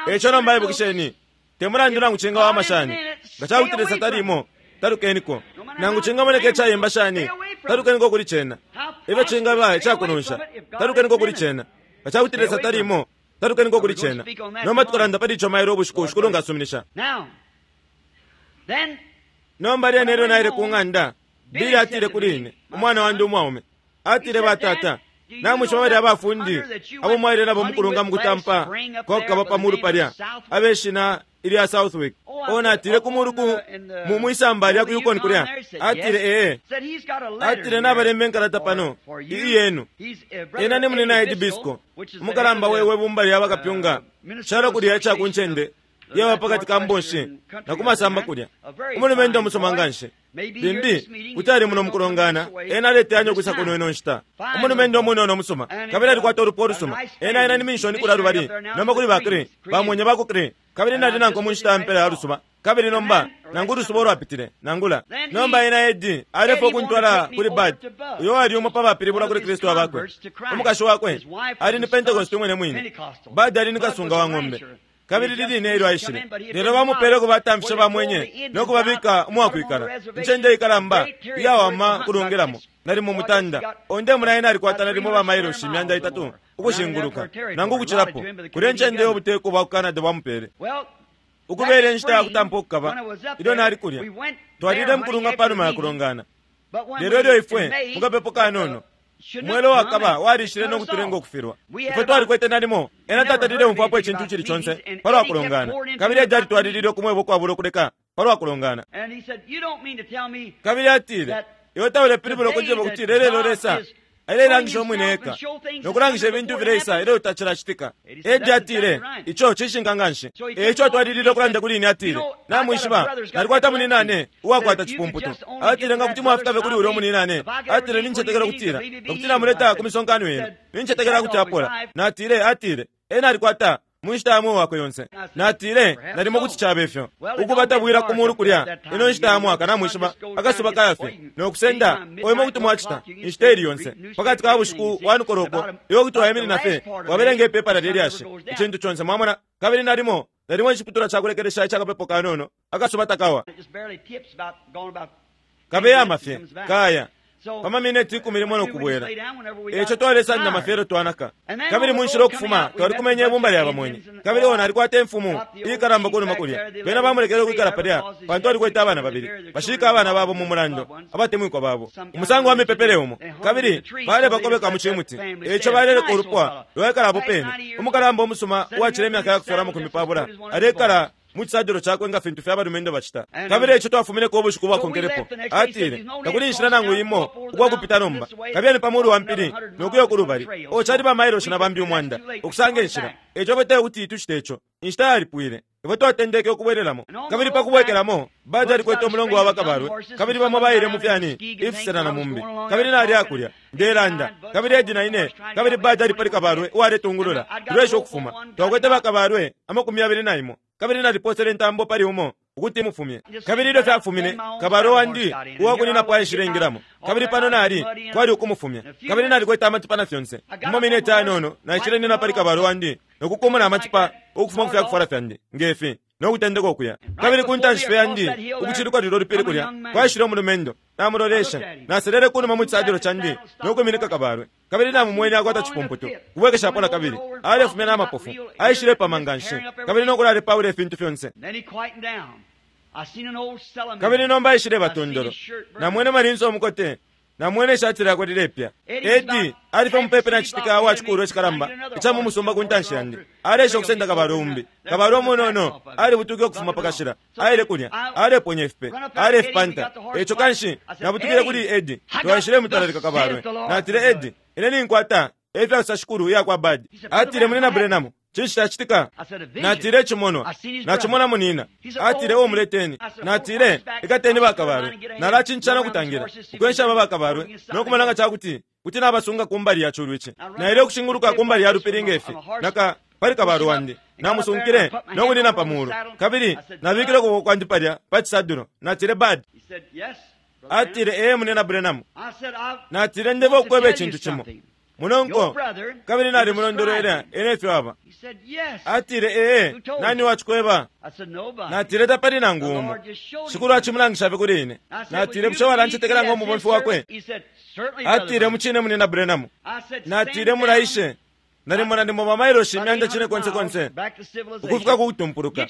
E ico nomba ibukisheni, te mulandu nangu cingawama shani, nga ca kuti Lesa talimo, talukeniko. Nangu cingamoneka icayemba shani, talukeniko kuli cena. Ifyo cingaba icakunonsha, talukeniko kuli cena. Nga ca kuti Lesa talimo, talukeniko kuli cena. Nomba tukalanda pali ico mailo ubushiku, Shikulu nga asuminisha. Nomba lyena ilyo naile ku ng'anda, Billy atile kuli ine, umwana wandi umwaume, atile, Batata, namwishiba balya bafundi abo mwaile nabo mukulunga mukutampa kwa kukaba pa mulu palya, abe shina ilya Southwick? O, natile, ku mulu ku mu mwisamba lya ku Yukon kulya. Atile, Ee. Atile, Nabalemba inkalata pano, iyi yenu. Ena ni Munyina Eddie Biscoe, umukalamba we, we bumba lya bakapyunga calo kulya ica ku ncende yaba pakati ka mbonshi na ku masamba kulya, umulumendo umusuma nganshi. Limbi kuti ali muno mukulongana, ena aleteyanya ukwisa kuno ino nshita. Umulumendo umunono umusuma, kabili alikwata ulupwa ulusuma. Ena, ena ni minshoni kulya lubali nomba kuli ba Cree, bamwenye ba ku Cree. Kabili nali nankwe mu nshita ya mpela ya lusuba, kabili nomba, nangu ulusuba ulwapitile, nangula. Nomba ena Eddie alefwaya ukuntwala kuli Bud, uyo uwali umo pa bapilibulwa kuli Kristu abakwe. Umukashi wakwe ali ni Pentecost umwine mwine. Bud ali ni kasunga wa ng'ombe. Kabili liline ilyo aishile, lelo bamupele kubatamfisha bamwenye no kubabika umwakwikala, incende ikalamba iyawama kulungilamo, nalimo mutanda. Onde muna ena alikwata nalimo ba mailoshi 300 ukushinguluka, nangu ukucilapo, kulya incende iyo ubuteko bwa ku Canada bwamupele. Ukubele inshita ya kutampa ukukaba, ilyo nali kulya, twalile mukulunga panuma ya kulongana. Lelo ilyo ifwe, mukapepo kanono, umwela uwakaba walishile no kutulenga ukufilwa. Ifwe twalikwete nalimo, ena tatalile umfwapo icintu icili conse palwa kulongana, kabili Eddie alitwalilile ukumweba ukwabula ukuleka palwa kulongana. Kabili atile, Iwe taulepilibula ukunjeba ukutila ilelo Lesa aileilangisha umwine eka no kulangisha ifintu ifileisa ilyo tacilacitika? Eddie atile, Ico cishinka nganshi. E ico atwalilile ukulanda kuli ine, atile, Namwishiba, nalikwata muninane uwakwata cipumputu. Atile, Nga kuti mwafika fye kuli ulya muninane, atile, nincetekela ukutila nga kuti namuleta ku misonkano yenu, nincetekela kuti apola. Natile, atile, Ena alikwata mu nshita ya mweo wakwe yonse. Natile, Nalimo kuti cabe fyo. Ukuba tabwila ku mulu kulya ino nshita ya mwaka, namwishiba, akasuba kaya fye no kusenda. Oimo kuti mwacita inshita ili yonse pakati ka bushiku wa nukoloko, iwe kuti waiminina fye wabelenga ipepala lye lyashi, icintu conse, mwamona. Kabili nalimo, nalimo iciputulwa ca kulekelesha ica kapepo kanono, akasuba takawa. Kabeyama fye kaya pa mamineti 10 no kubwela. E ico twalesandama fye ilyo twanaka. Kabili mu nshila ukufuma twalikumenye ibumba lya bamwenye. Kabili oh, nalikwata imfumu iikalamba kunuma kulya. Bena bamulekele ukwikala palya pantu alikwete abana babili. Bashika abana babo mu mulando, abatemwikwa babo. Umusango wa mipepele umo. Kabili balebakobeka mu cimuti. E ico baleleka ulupwa lwaikala apo pene. Umukalamba umusuma uwacila imyaka ya kufyalwa 20 alekala mu cisadilo cakwe nga fintu fye abalumendo bacita. Kabili eico twafumineko ubushiku bwakonkelepo. Atile, Takuli inshila nangu imo ukwa kupita nomba. Kabiyeni pa mulu wa mpili no kuya uku lubali. Oh, cali ba mailoshi na bambi 1,000 ukusanga inshila. Eico fwe tekuti tucite ico. Inshita yalipwile. Ifwe twatendeke ukubwelelamo. Kabili pa kubwekelamo, Bud alikwete umulongo wa bakabalwe, kabili bamo baile mu fyani ifisela na mumbi. Kabili nali akulya, ndelanda, kabili Eddie na ine, kabili Bud ali pali kabalwe uwaletungulula, tuleesha ukufuma. Twakwete bakabalwe 21. Kabili naliposele intambo pali umo ukuti imufumye. Kabili ilyo fyafumine, kabalwe wandi uwakuninapo aishile ingilamo. Kabili pano nali, kwali ukumufumya. Kabili nalikwete amatipa na fyonse. Mu mamineti ayanono, naishile nina pali kabalwe wandi no kukumuna amatipa ukufuma ku fyakufwala fyandi, nge fi. no kutendeka ukuya. Kabili ku ntanshi fye yandi, ukuciluka lulyo lupili kulya, kwaishile umulumendo. Namuloleshe. Naselele kunuma mu cisadilo candi no kwiminika kabalwe. Kabili namumwene akwata cipumputu, kubwekeshapo na kabili. Alefumya na mapofu, aishilepama nga nshi, kabili no kulalepaula ifintu fyonse. Kabili nomba aishileba tondolo. Namwene malinso umukote, namwene ishati lyakwe lilepya. Eddie ali fye mupepi na citika wa cikulwa icikalamba ica mu musumba ku ntanshi yandi, aleesha ukusenda kabalwe umbi. Kabalwe umunono alibutuke ukufuma pa kashila, aile kulya, aleponya ifipe, alefipanta. Eco kanshi nabutukile kuli Eddie, twaishilemutalalika kabalwe. Natile, Eddie, ine ninkwata efyasosa shikulu iya kwa Bad. Atile, Munyina Branham, cinshi cacitika? Natile, Icimonwa. Nacimona munina. Atile, O muleteni. Natile, Ikateni bakabalwe. Nalacincana ukutangila, ukwensha aba bakabalwe, no kumona nga ca kuti kuti nabasunga ku mbali ya culu ici. Naile ukushinguluka ku mbali ya lupili nge fi, naka pali kabalwe wandi. Namusunkile no kunina pa mulu. Kabili nabikile ukuboko kwandi palya pa cisadulo. Natile, Bud. Atile, Ee, Munyina Branham. Natile, Ndeba ukweba icintu cimo, munonko. Kabili nalimulondolwela ena ifyo aba. Atile, Ee, nani wacikweba? Natile, Tapali nangu umo. Shikulu acimulangisha fye kuli ine. Natile, Bushe walancetekela ngo mubomfi wakwe? Atile, Mucine, Munyina Branham. Natile, Mulaishe nalimo nalimo bamailoshi imyanda cine konse konse ukufika ku kutumpuluka.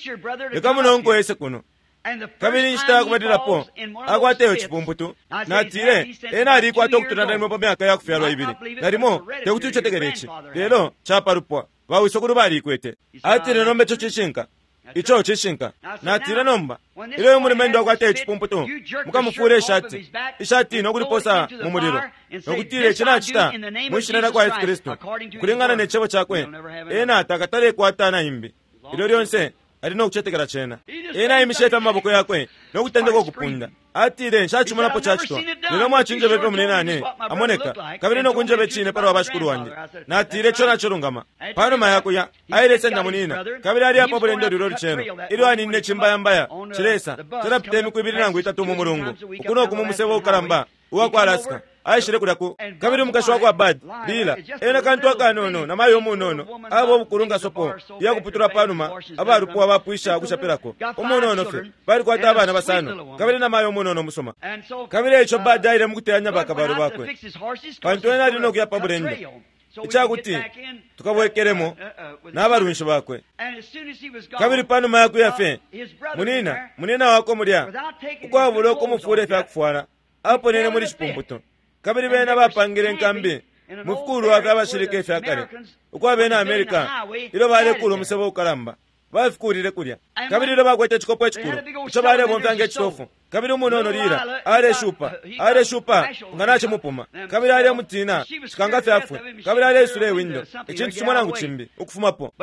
Leka munonko ese kuno. Kabili inshita ya kubalilapo akwata iyo cipumputu, natile, ena alikwata ukutula nalimo pa myaka ya kufyalwa ibili. Nalimo tekuti ucetekele ici, lelo capalupwa bawisokulu baliikwete. Atile, Nomba ico cishinka. Ico cishinka. Natile, Nomba ilyo uyu mulumendo akwata icipumputu, mukamufule ishati, ishati no kuliposa mu mulilo, no kutila ici nacita mwi shina lya kwa Yesu Kristu, ukulingana ne cebo cakwe, ena takatale kwata na imbi. Ilyo lyonse ali no kucetekela cena. Ena aimishe fye amaboko yakwe no kutendeka ukupunda. Atile, Nshacimonapo cacitwa, lelo mwacinjeba ifyo muninane amoneka, kabili no kunjeba icine palwa bashikulu wandi. Natile, Ico nacilungama. Panuma ya kuya, ailesenda munina, kabili ali apa bulendo lulyo lucelo, ilyo aninine cimbayambaya cilesa, calapita imiku ibili nangu itatu mu mulungu, uku no ku mu musebo ukalamba uwa ku Alaska. Aishile kulya ku, kabili umukashi wa kwa Bud, Lila, ena kantu akanono na mayo umunono, aba ubukulu nga sopo iya kuputula panuma abalupwa bapwisha ukushapilako, umunono fye. Balikwata abana basano, kabili na mayo umunono umusuma. Kabili eico Bud aile mukuteyanya bakabalwe bakwe, pantu ena ali no kuya pa bulendo, icakuti tukabwekelemo n'abalunshi bakwe. Kabili panuma ya kuya fye, munina, munina wakwe mulya, ukwabula ukumufula ifya kufwala, aponene muli cipumputu. Kabili bena bapangile inkambi mu fikulwa fya bashilika ifya kale, uko abena America, ilyo balekuula umusebo ukalamba, bafikuulile kulya. Kabili ilyo bakwete icikopo icikulu ico balebomfya nge citofu, kabili umunono Lila aleshupa, aleshupa nga nacimupuma, kabili alemutina cikanga fye afwe, kabili aleisula iwindo, icintu cimo nangu cimbi ukufumapo.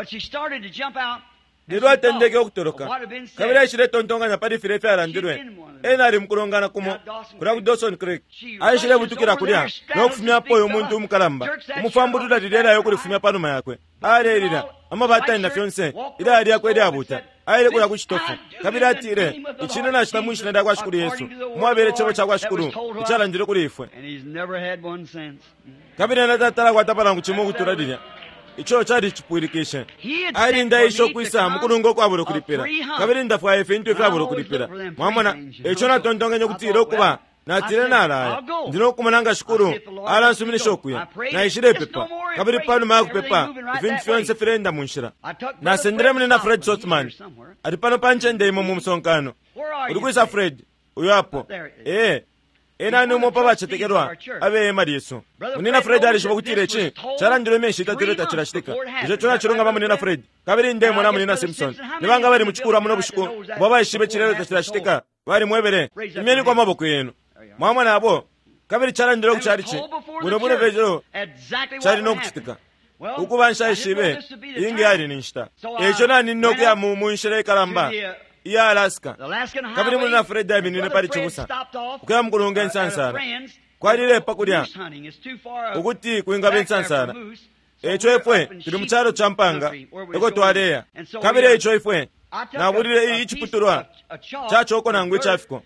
Lelo atendeke ukutoloka, kabili aishiletontonkanya pali filya ifyalandilwe. Ena ali mukulongana kumo kulya ku Dawson Creek. Aishilebutukila kulya no kufumyapo uyu muntu umukalamba, umufambulula lilya ilaya ukulifumya pa numa yakwe. Alelila, amabatani na fyonse, ilaya lyakwe ilyabuta. Aile kulya ku citofu, kabili atile, Ici ine nacita mwi Shina lya kwa Shikulu Yesu, umwabele Cebo ca kwa Shikulu icalandilwe kuli ifwe. Kabili ena tatala akwatapo nangu cimo ukutula lilya. Ico calicipwilikishe. Ali ndaisha ukwisa mukulunga ukwabula ukulipila, kabili ndafwaya ifintu ifyabula ukulipila. Mwamona? Eico natontonkenye ukutila ukuba, natile nalaya, ndi no kumona nga Shikulu alansuminisha ukuya. Naishilepepa, kabili panuma ya kupepa, ifintu fyonse fileenda mu nshila. Nasendele Munyina Fred Sothmann, ali pano pa ncende imo mu musonkano. Uli kwisa, Fred? Uyo apo. Ee. Ena ni umo pa bacetekelwa abe hema lyesu. Munyina Fred alishiba ukutila ici calandilwe imyeshi itatu ilyo tacilacitika. Bushe ico nacilungama, Munyina Fred? Kabili ndemona Munyina Simpson. Ni banga abali mu cikulwa muno bushiku abo abaishibe cilya ilyo tacilacitika? Balimwebele. Imyeniko amaboko yenu. Mwamona abo? Kabili calandilwe ku calici bwino bwino fye ico cali no kucitika. Ukuba nshaishibe iyi yali ni nshita. E ico naninine ukuya mu, mu nshila ikalamba iya Alaska. Kabili Munyina Fred aiminine pali cibusa, ukuya mukulunga insansala. Kwalilepa kulya ukuti kwingaba insansala. Eico ifwe tuli mu calo ca mpanga eko twaleya. Kabili eico ifwe nabulile i iciputulwa ca coko nangu ica fiko,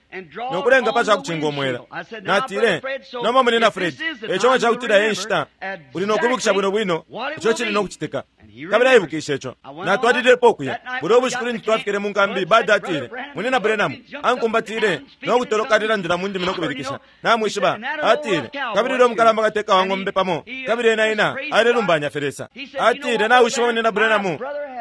no kulenga pa ca kucinga umwela. Natile, Nomba, Munyina Fred, eico nga cakutila e nshita, uli no kwibukisha bwino bwino ico cili no kucitika. Kabili aibukishe ico. Natwalililepo ukuya. Bulya ubushiku lintu twafikile mu nkambi, Bud atile, Munyina Branham, ankumbatile no kutoloka alelandila mu ndimi no kubilikisha. Namwishiba, atile, kabili ulya umukalamba kateka wa ng'ombe pamo, kabili ena ena alelumbanya fye Lesa. Atile, Nawishiba, Munyina Branham,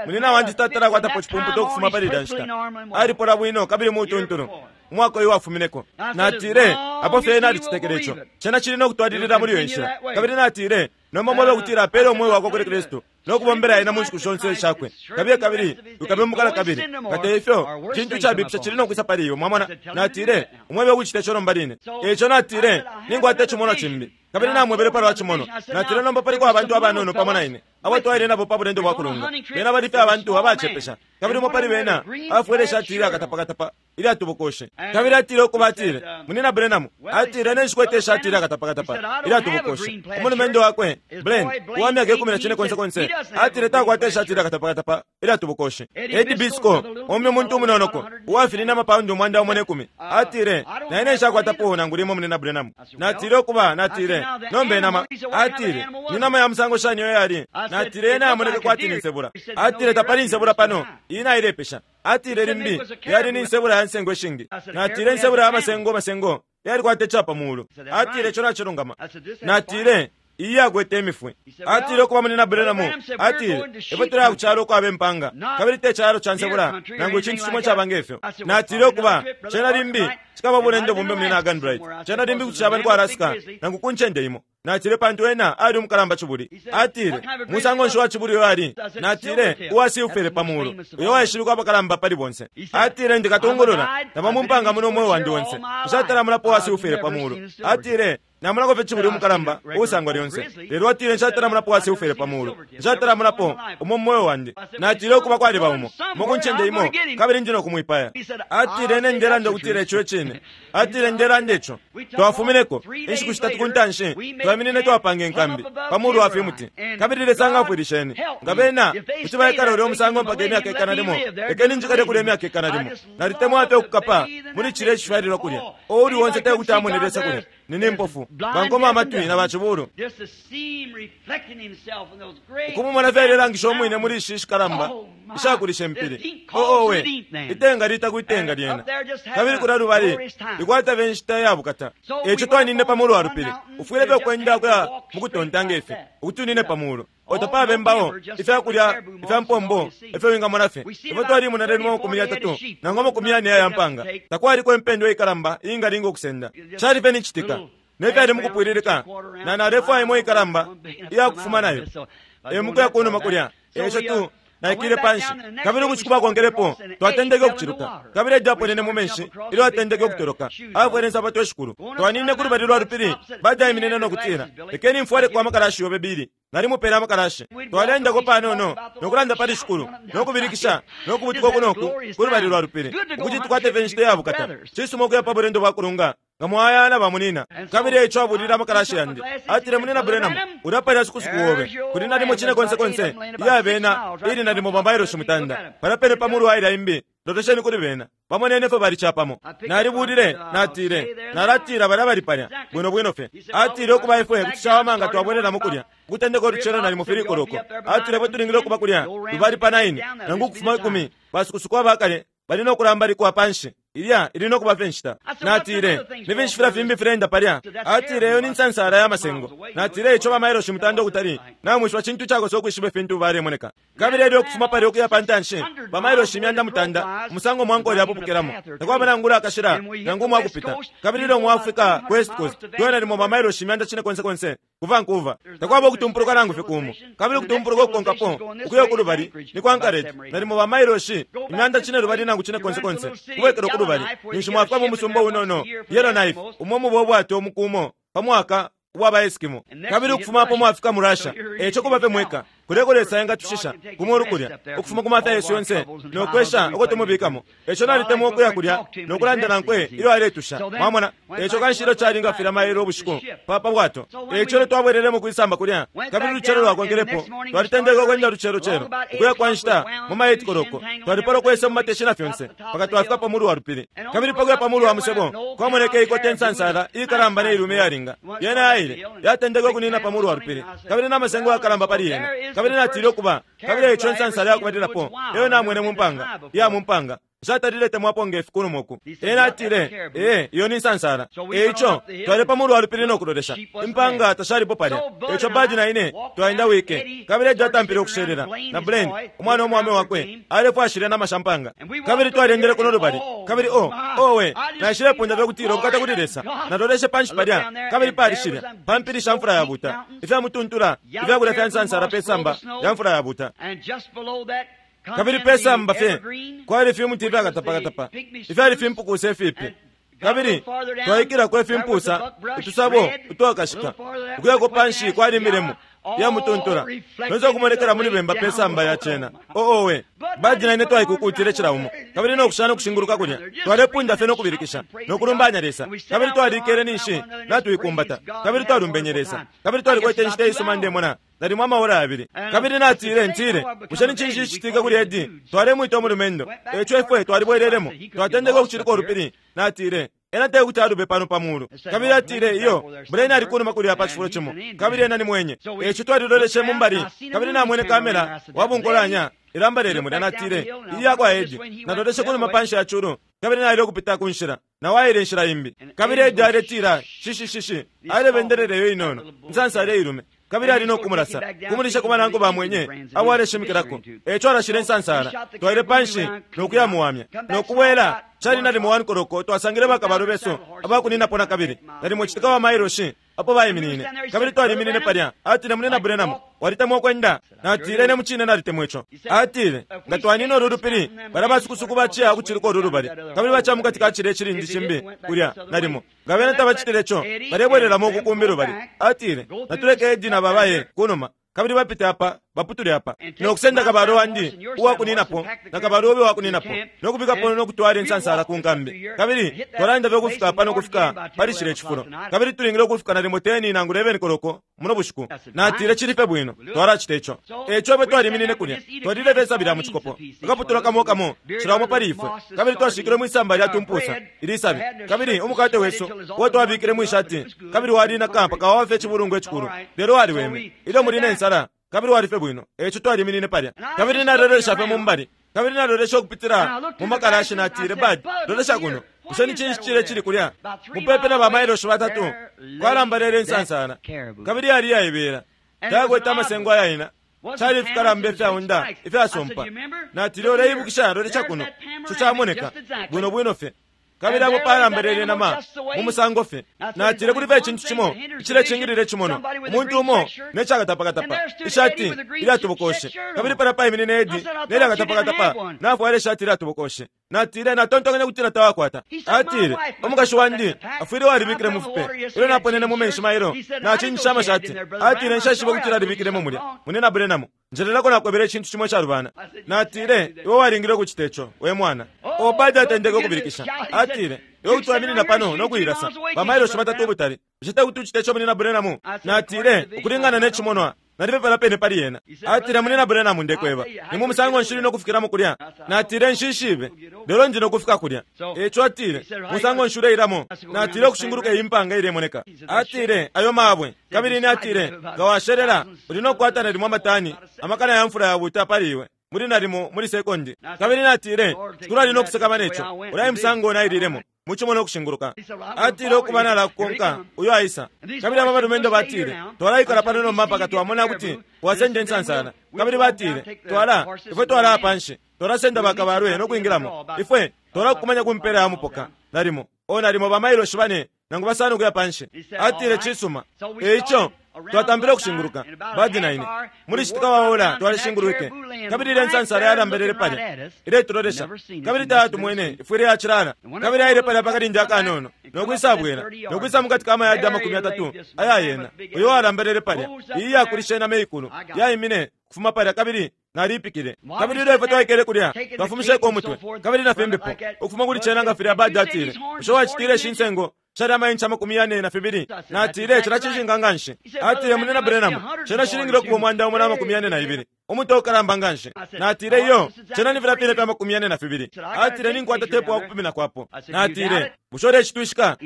munyina wandi tatala akwatapo cipumputa ukufuma pali ilya nshita. Alipola bwino kabili mutuntulu. Umwaka uyu wafumineko. Natile, apo fye nalicitekele ico. Cena cili no kutwalilila muli iyo nshila. Kabili natile, Nomba mwebe ukutila apele umweo wakwe kuli Kristu no kubombela ena mu nshiku shonse ishakwe. Kabiye kabili ukabembuka na kabili. Nga te ifyo, cintu icabipisha cili no kwisa pali iwe. Mwamona? Natile, Umwebe ukucita ico nomba line. E ico natile, Ninkwata icimonwa cimbi. Kabili namwebele palwa cimonwa. Natile, Nomba paliko abantu abanono pamo na ine, abo twaile nabo pa bulendo bwa kulunga. Bena bali fye abantu abacepesha. Kabili umo pali bena afwele ishati ilya katapakatapa ilyatubukoshe. Kabili atile ukuba atile, Munyina Branham, atile, Ine nshikwete ishati ilya katapakatapa ilyatubukoshe. Umulumendo wakwe, Blaine, uwa myaka ikumi na cine konse konse, atile takwata ishati ilya katapakatapa ilyatubukoshe. Eddie Biscoe, umbi umuntu umunonoko, uwafinine amapaundi 110, atile, Na ine nshakwatapo nangu limo, Munyina Branham. Natile ukuba, natile, Nomba inama, atile, ni nama ya musango shani iyo yali? Natile, Yena yamoneke kwati ni nsebula. Atile, Tapali insebula pano, iyi nailepesha. Atile, Limbi yali ni nsebula ya nsengo ishingi. Natile, Insebula ya masengo masengo yalikwata icapa mulu. Atile, Ico nacilungama. Natile, Iyi yakwete imifwi. Atile, Ukuba, Munyina Branham, atile, ifwe tuleya ku calo ukwaba impanga, kabili te calo ca nsebula nangu icintu cimo icaba nge fyo. Natile, Ukuba, cena limbi cikaba bulendo bumbi, Munyina Arganbright. Cena limbi kuti caba ni ku Alaska nangu ku ncende imo. Natile, Pantu ena ali umukalamba cibuli. Atile, Musango nshi wa cibuli uyo ali? Natile, Uwa silfere pa mulu, uyo waishibikwa apakalamba pali bonse. Atile, Ndi katungulula, naba mu mpanga muno umweo wandi onse. Nshatala mulapo uwa silfere pa mulu. Atile, Namonako fye cibuli umukalamba uusangwa lyonse. Lelo atile, Nshatala mulapo uwa silfere pa mulu. Nshatala mulapo umo mu mweo wandi. Natile, Ukuba kwaliba umo, umo ku ncende imo, kabili ndi no kumwipaya. Atile, Ine ndelanda ukutila ico e cine. Atile, Ndelanda ico. Twafumineko, inshiku shitatu ku ntanshi, twaiminine twapanga inkambi pa mulu wa fimuti. Kabili Lesa ngafwilisheni. Nga bena kuti baikala ulya umusango mpaka imyaka ikana limo, lekeni njikale kulya imyaka ikana limo. Nalitemwa fye ukukapa muli cilya icifyalilwa kulya. Uuli onse te kuti amone Lesa kulya. Ni mpofu, bankoma amatwi na bacibulu. Ukumumona fye alelangisha umwine muli ishi shikalamba ishakulisha impili. Oh, owe, itenga lita kwitenga lyena. Kabili kulya lubali likwata fye inshita ya bukata. Eco twanine pa mulu wa lupili. Ufwile fye ukwenda kuya mukutonta nge fi, ukuti unine pa mulu. Otapaba imbao, ifya kulya ifya mpombo ifyo wingamona fye. Ifwe twalimona lelo amakumi yatatu nangu amakumi yane aya mpanga. Takwaliko impendwa ikalamba iingalinga ukusenda. Cali fye ni citika. Ne fyali mukupwililika, na nalefwaya imo ikalamba iya kufuma nayo. E mukuya kunuma kulya. Eco tu naikile panshi. Kabili ubushiku bwakonkelepo twatendeke ukuciluka. Kabili Eddie aponene mu menshi ilyo atendeke ukutoloka. Afwele insapato ishikulu. Twanine ku lubali lwa lupili, badaiminine no kutila, Lekeni mfwaleko amakalashi yobe Billy. Nalimupele amakalashi. Twaleendako panono no kulanda pali Shikulu, no kubilikisha, no kubutuka uku no ku, ku lubali lwa lupili, ukuti tukwate fye inshita ya bukata. Cisuma ukuya pa bulendo bwa kulunga nga mwaya na bamunina. Kabili eico abulile amakalashi yandi. Atile, Munina Branham, ulya palya sukusuku obe. Kuli nalimo cine konse konse iya bena, ili nalimo bamailoshi mutanda. Palya pene pa mulu wa ilya imbi, lolesheni kuli bena. Bamonene fyo bali capamo. Nalibulile, natile, nalatila balya bali palya, bwino bwino fye. Atile, Ukuba ifwe kuti cawama nga twabwelelamo kulya, ukutendeka ulucelo nalimo fili koloko. Atile, Ifwe tulingile ukuba kulya lubali pa 9, nangu ukufuma 10, basukusuku abakale bali no kulambalikwa panshi. Ilya ili no kuba fye inshita. Natile, Ni finshi filya fimbi fileenda palya? Atile, Iyo ni nsansala ya masengo. Natile, Ico bamailoshi mutanda ukutali, namwishiba cintu cakosa ukwishiba ifintu balemoneka. Kabili elyo ukufuma palya ukuya pa ntanshi, bamailoshi 900, umusango mwankole apupukilamo. Takwaba nangula akashila, nangu umwakupita. Kabili ilyo mwafika ku West Coast, tuya nalimo bamailoshi 900 konse konse, ku Vancouver. Takwaba ukutumpuluka nangu fye kumo. Kabili ukutumpuluka ukukonkapo, ukuya kulubali, ni ku Anchorage, nalimo bamailoshi 900 nangu cine konse konse, kubwekela kulubali. Ninshi mwafika mu musumba unono, Yellowknife, umo muba ubwato umukumo pa mwaka ubwa ba Eskimo. Kabili ukufuma apo mwafika mu Russia, eco kuba fye mweka. Kuleko Lesa engatushisha ku mulu kulya, ukufuma ku mafya yesu yonse no kwesha uko tumubikamo. Eco nalitemwa ukuya kulya no kulanda nankwe ilyo aletusha. Mwamona, eco kanshi ilyo cali nga filya mailo ubushiku pa pa bwato. Eco ilyo twabwelelemo kwisamba kulya, kabili ulucelo lwakonkelepo, twalitendeke ukwenda lucelo celo, ukuya kwa nshita mu ma 8 koloko. Twalipala ukwesa mu mateshi na fyonse, mpaka twafika pa mulu wa lupili. Kabili pa kuya pa mulu wa musebo, kwamoneke ikota insansala ikalamba ne ilume iyalinga. Yena yaile, yatendeke ukunina pa mulu wa lupili, kabili na masengo yakalamba pali yena. Kabili natile ukuba, kabili eico insansala yakubalilapo eyo namwene mu mpanga, iya mu mpanga. Nshatalile temwapo nge fi kunuma uku. Ena atile, Ee, iyo ni nsansala. E ico, twale pa mulu wa lupili no kulolesha. Impanga tashalipo palya. E ico Bud na ine twaendawike, kabili Eddie atampile ukushelela, na Blaine, umwana umwaume wakwe, alefwaya shilya nama sha mpanga. Kabili twalyendele kuno lubali, kabili oh, owe, naishilepunda fye ukutila ubukata kuli Lesa. Naloleshe panshi palya, kabili pali shilya, pa mpili sha mfula yabuta, ifya mutuntula, ifyakulya fya nsansala pe samba lya mfula yabuta. Kabili pe samba fye kwali fimuti ifyakatapakatapa, ifyali fimpukusa ifipi. Kabili twaikilako ifimpusa, utusabo utwakashika. Ukuyako panshi kwali imilemu iya mutuntula, nonse ukumonekela muli bemba pe samba ya cena. Oh, owe! Bud na ine twaikukutile cila umo, kabili no kushana ukushinguluka kulya, twalepunda fye no kubilikisha, no kulumbanya Lesa. Kabili twalikele ninshi natuikumbata, kabili twalumbenye Lesa. Kabili twalikwete inshita isuma, ndemona, nalimo amaora yabili. Kabili natile, Ntile, bushe ni cinshi icicitika kuli Eddie? Twalemwita umulumendo. Eico ifwe twalibwelelemo, twatendeke ukucilika ulupili. Natile, Ena tekuti alube pano pa mulu. Kabili atile, Iyo, Blaine ali kunuma kulya pa cifulo cimo, kabili ena ni mwenye. Eico twaliloleshe mu mbali, kabili namwene kamera wa bunkolanya ilambalele mulya. Natile, Ili yakwa Eddie. Naloleshe kunuma panshi ya culu, kabili naile ukupita ku nshila, nao aile inshila imbi. Kabili Eddie aletila, Shishi, shishi, alebendelela iyo inono, insansa ilume. Kabili ali no kumulasa, kumulisha ku banankwe ba mwenye abo aleshimikilako. E ico alashile insansala. Twaile pa nshi no kuyamuwamya, no kubwela. Cali nalimo 1 koloko twasangile bakabalwe besu abakuninapo na kabili, nalimo citika wa mailoshi apo baiminine. Kabili twaliminine palya. Atile, Munyina Branham, walitemwa ukwenda? Natile, Ine mucine nalitemwa ico. Atile, Nga twanina ulu lupili, balya basukusuku baciya ukucilika ulu lubali, kabili baciya mukati ka cilya icilindi cimbi kulya, nalimo. Nga bena tabacitile co, balebwelelamo uku kumbi lubali. Atile, Natuleke Eddie na ba baye kunuma, kabili bapite apa, baputule apa, no kusenda kabalwe wandi uwa kuninapo na kabalwe obe uwa kuninapo, no kubikapo no kutwala insansala ku nkambi. Kabili twalaenda fye ukufika apa no kufika pali cilya cifulo. Kabili tulingile ukufika nalimo 10 nangu 11 koloko muno bushiku. Natile, Cili fye bwino, twalacita ico. E ico ifwe twaliminine kulya, twalile fye isabi lya mu cikopo, akaputula kamo kamo, cila umo pali ifwe, kabili twashikilwe mwi samba lya tumpusa ili sabi. Kabili umukate wesu uo twabikile mwi shati, kabili walinaka mpaka waba fye icibulungwa icikulu, lelo waliweme ilyo muli ne nsala, kabili wali fye bwino. E ico twaliminine palya, kabili nalolesha fye mu mbali, kabili nalolesha ukupitila mu makalashi, natile, Bud, lolesha kuno. Bushe ni cinshi cile cili kulya? Mupepi na bamailoshi batatu kwalambalele insansala, kabili yali iyaibela, tayakwete amasengo ayaina, cali ifikalamba ifyaunda ifyasompa. Natile, Uleibukisha? Lolesha kuno, ico camoneka bwino bwino fye. Kabili apo palambalele inama mu musango fye. Natile, Kuli fye icintu cimo icilecingilila icimonwa, umuntu umo ne cakatapakatapa, ishati ilyatobokoshe. Kabili palya paiminine Eddie ne lyakatapakatapa, nafwala ishati ilyatobokoshe. Natile, Natontonkanya ukutila tawakwata. Atile, Umukashi wandi afwile walibikile mu fipe ilyo naponene mu menshi mailo. Nacinjisha amashati. Atile, Nshaishiba ukutila alibikilemo mulya. Munyina Branham, njelelako nakwebele icintu cimo icalubana. Natile, Iwe walingile ukucita ico, we mwana. Obadi atendeke ukubilikisha. Atile, Iwe kuti waminina pano no kuilasa ba mailoshi batatu ubutali. Bushe te kuti ucite ico, Munyina Branham? Natile, Ukulingana ne cimonwa, Nalipepela pene pali ena. Atile, Munyina Branham, ndekweba, ni mu musango nshi uli no kufikilamo kulya? Natile, Nshishibe, lelo ndi no kufika kulya. Eico atile, Musango nshi uleilamo? Natile, Ukushinguluka iyi mpanga ilemoneka. Atile, Ayo mabwe. Kabili ine atile, Nga washelela, uli no kukwata nalimo amatani amakana ya mfula yabuuta pali iwe, muli nalimo muli sekondi. Kabili natile, Shikulu ali no kusakamana ico. Ulya e musango naililemo. Mucimo no kushinguluka. Atile, Ukuba nalakukonka, uyo aisa. Kabili aba balumendo batile, Twalaikala pano nomba mpaka twamona ukuti wasenda insansala. Kabili batile, Twala, ifwe twalaya panshi, twalasenda bakabalwe no kwingilamo. Ifwe twalakukumanya ku mpela ya mupoka, nalimo, oh, nalimo ba mailoshi bane nangu basano ukuya panshi. Atile, Cisuma. E ico twatampile ukushinguluka, Bud na ine. Muli citika wa ora twalishingulwike, kabili ilya insansala yalambelele palya iletulolesha, kabili tayatumwene, ifwile yacilala. Kabili aile palya pa kalindi akanono, no kwisabwela, no kwisa mukati ka mayadi 30 aya yena, uyo walambelele palya. Iyi iyakulisha inama iikulu yaimine kufuma palya, kabili naliipikile. Kabili ilyo ifwe twaikele kulya, twafumisheko umutwe, kabili na fimbipo, ukufuma kuli cena nga filya Bud atile, Bushe wacitile ishi nsengo shali ama inch 42? Natile, Cena cishinka nganshi. Atile, Munyina Branham, cena cilingile ukuba 142, umutwe ukalamba nganshi. Natile, Iyo, cena ni filya fine fya 42. Atile, Ninkwata tepu wa kupiminako apo. Natile, Bushe ulecitwishika?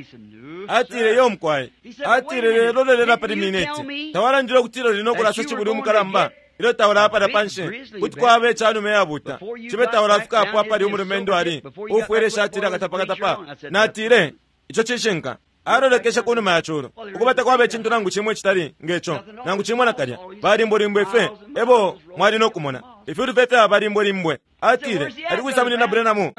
Atile, Iyo, mukwai. Atile, Lelo lolela pali mineti. Tawalandile ukutila uli no kulasa cibuli umukalamba? Ilyo taulaya palya panshi, kuti kwaba icanume iyabuta, cibe taulafikapo apali umulumendo ali, uufwele ishati ilya katapakatapa. Natile, Ico cishinka. Alolekeshe ku numa ya culu. Ukuba takwaba icintu nangu cimo icitali nge co, nangu cimo nakalya. Balimbwelimbwe fye ebo mwali no kumona. Ifyulu fye fyaba balimbwelimbwe. Atile, Ali kwisa Munyina Branham?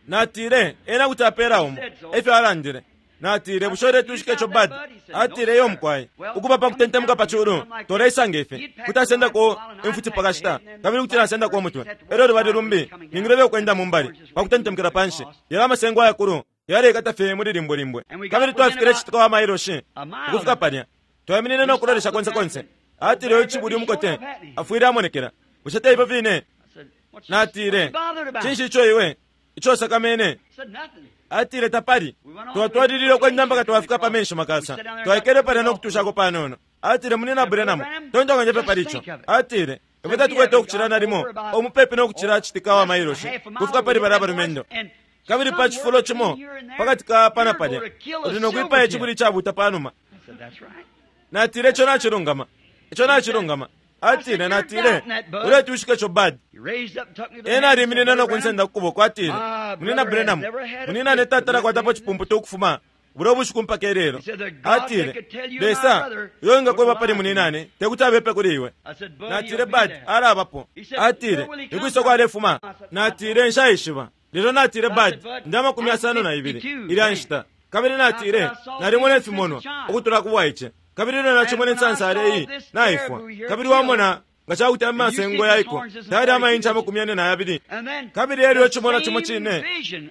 Natile, Ena kuti apela umo. Efyo alandile. Natile, Bushe uletwishika ico, Bud? Atile, Iyo, mukwai. Ukuba pa kutentemuka pa culu, toleisa nge fi. Kuti asendako imfuti pa kashita, kabili kuti nasendako umutwe. Elyo lubali lumbi, ningile fye ukwenda mu mbali, pa kutentemukila panshi. Yalya amasengo ayakulu yaleikata fye muli limbwe limbwe. Kabili twafikile citika wa mailoshi ukufika palya. Twaiminine no kulolesha konse konse. Atile, Uyu cibuli umukote afwile amonekela. Bushe te ifyo fine? Natile, Cinshi ico iwe, ico usakamene? Atile, Tapali. Twatwalilile ukwenda mpaka twafika pa menshi makasa. Twaikele palya no kutushako panono. Atile, Munyina Branham, tontonkanya fye pali ico. Atile, Ifwe tatukwete ukucila nalimo o mupepi no kucila citika wa mailoshi kufika pali balya balumendo. Kabili pa cifulo cimo pakati ka apa na palya, uli no kwipaya icibuli icabuta panuma. Natile, Ico nacilungama. Ico nacilungama. Atile, Natile, Uletwishika ico, Bud? Ena aliminine no kunsenda ku kuboko, atile, Munyina Branham, munyinane tatala kwatapo cipumputu ukufuma bulya ubushiku mpaka ilelo. Atile, Lesa, uyo wingakweba pali munyinane, tekuti abepe kuli iwe. Natile, Bud, alabapo. Atile, Nikwisa uko alefuma? Natile, Nshaishiba. Lelo natile, Bud, ndi amakumi yasano na ibili ilya nshita. Kabili natile, Nalimona ifimonwa ukutula ku bwaice. Kabili ilyo nacimona insansale iyi naifwa, kabili wamona nga ca kuti amasengo yaiko tayali amainci 42, kabili elyo icimonwa cimo cine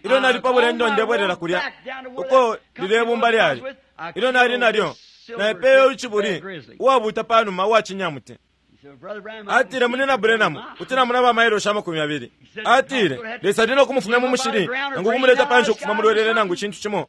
ilyo nali pa bulendo ndebwelela kulya uko lilye bumba lyali, ilyo nali nalyo, naipeye icibuli uwabuuta panuma uwa cinyamuti. Atile, Munyina Branham, kuti namona ba mailoshi 20. Atile, Lesa ali no kumufumya mu mushili, nangu ukumuleta panshi ukufuma mulwelele nangu icintu cimo.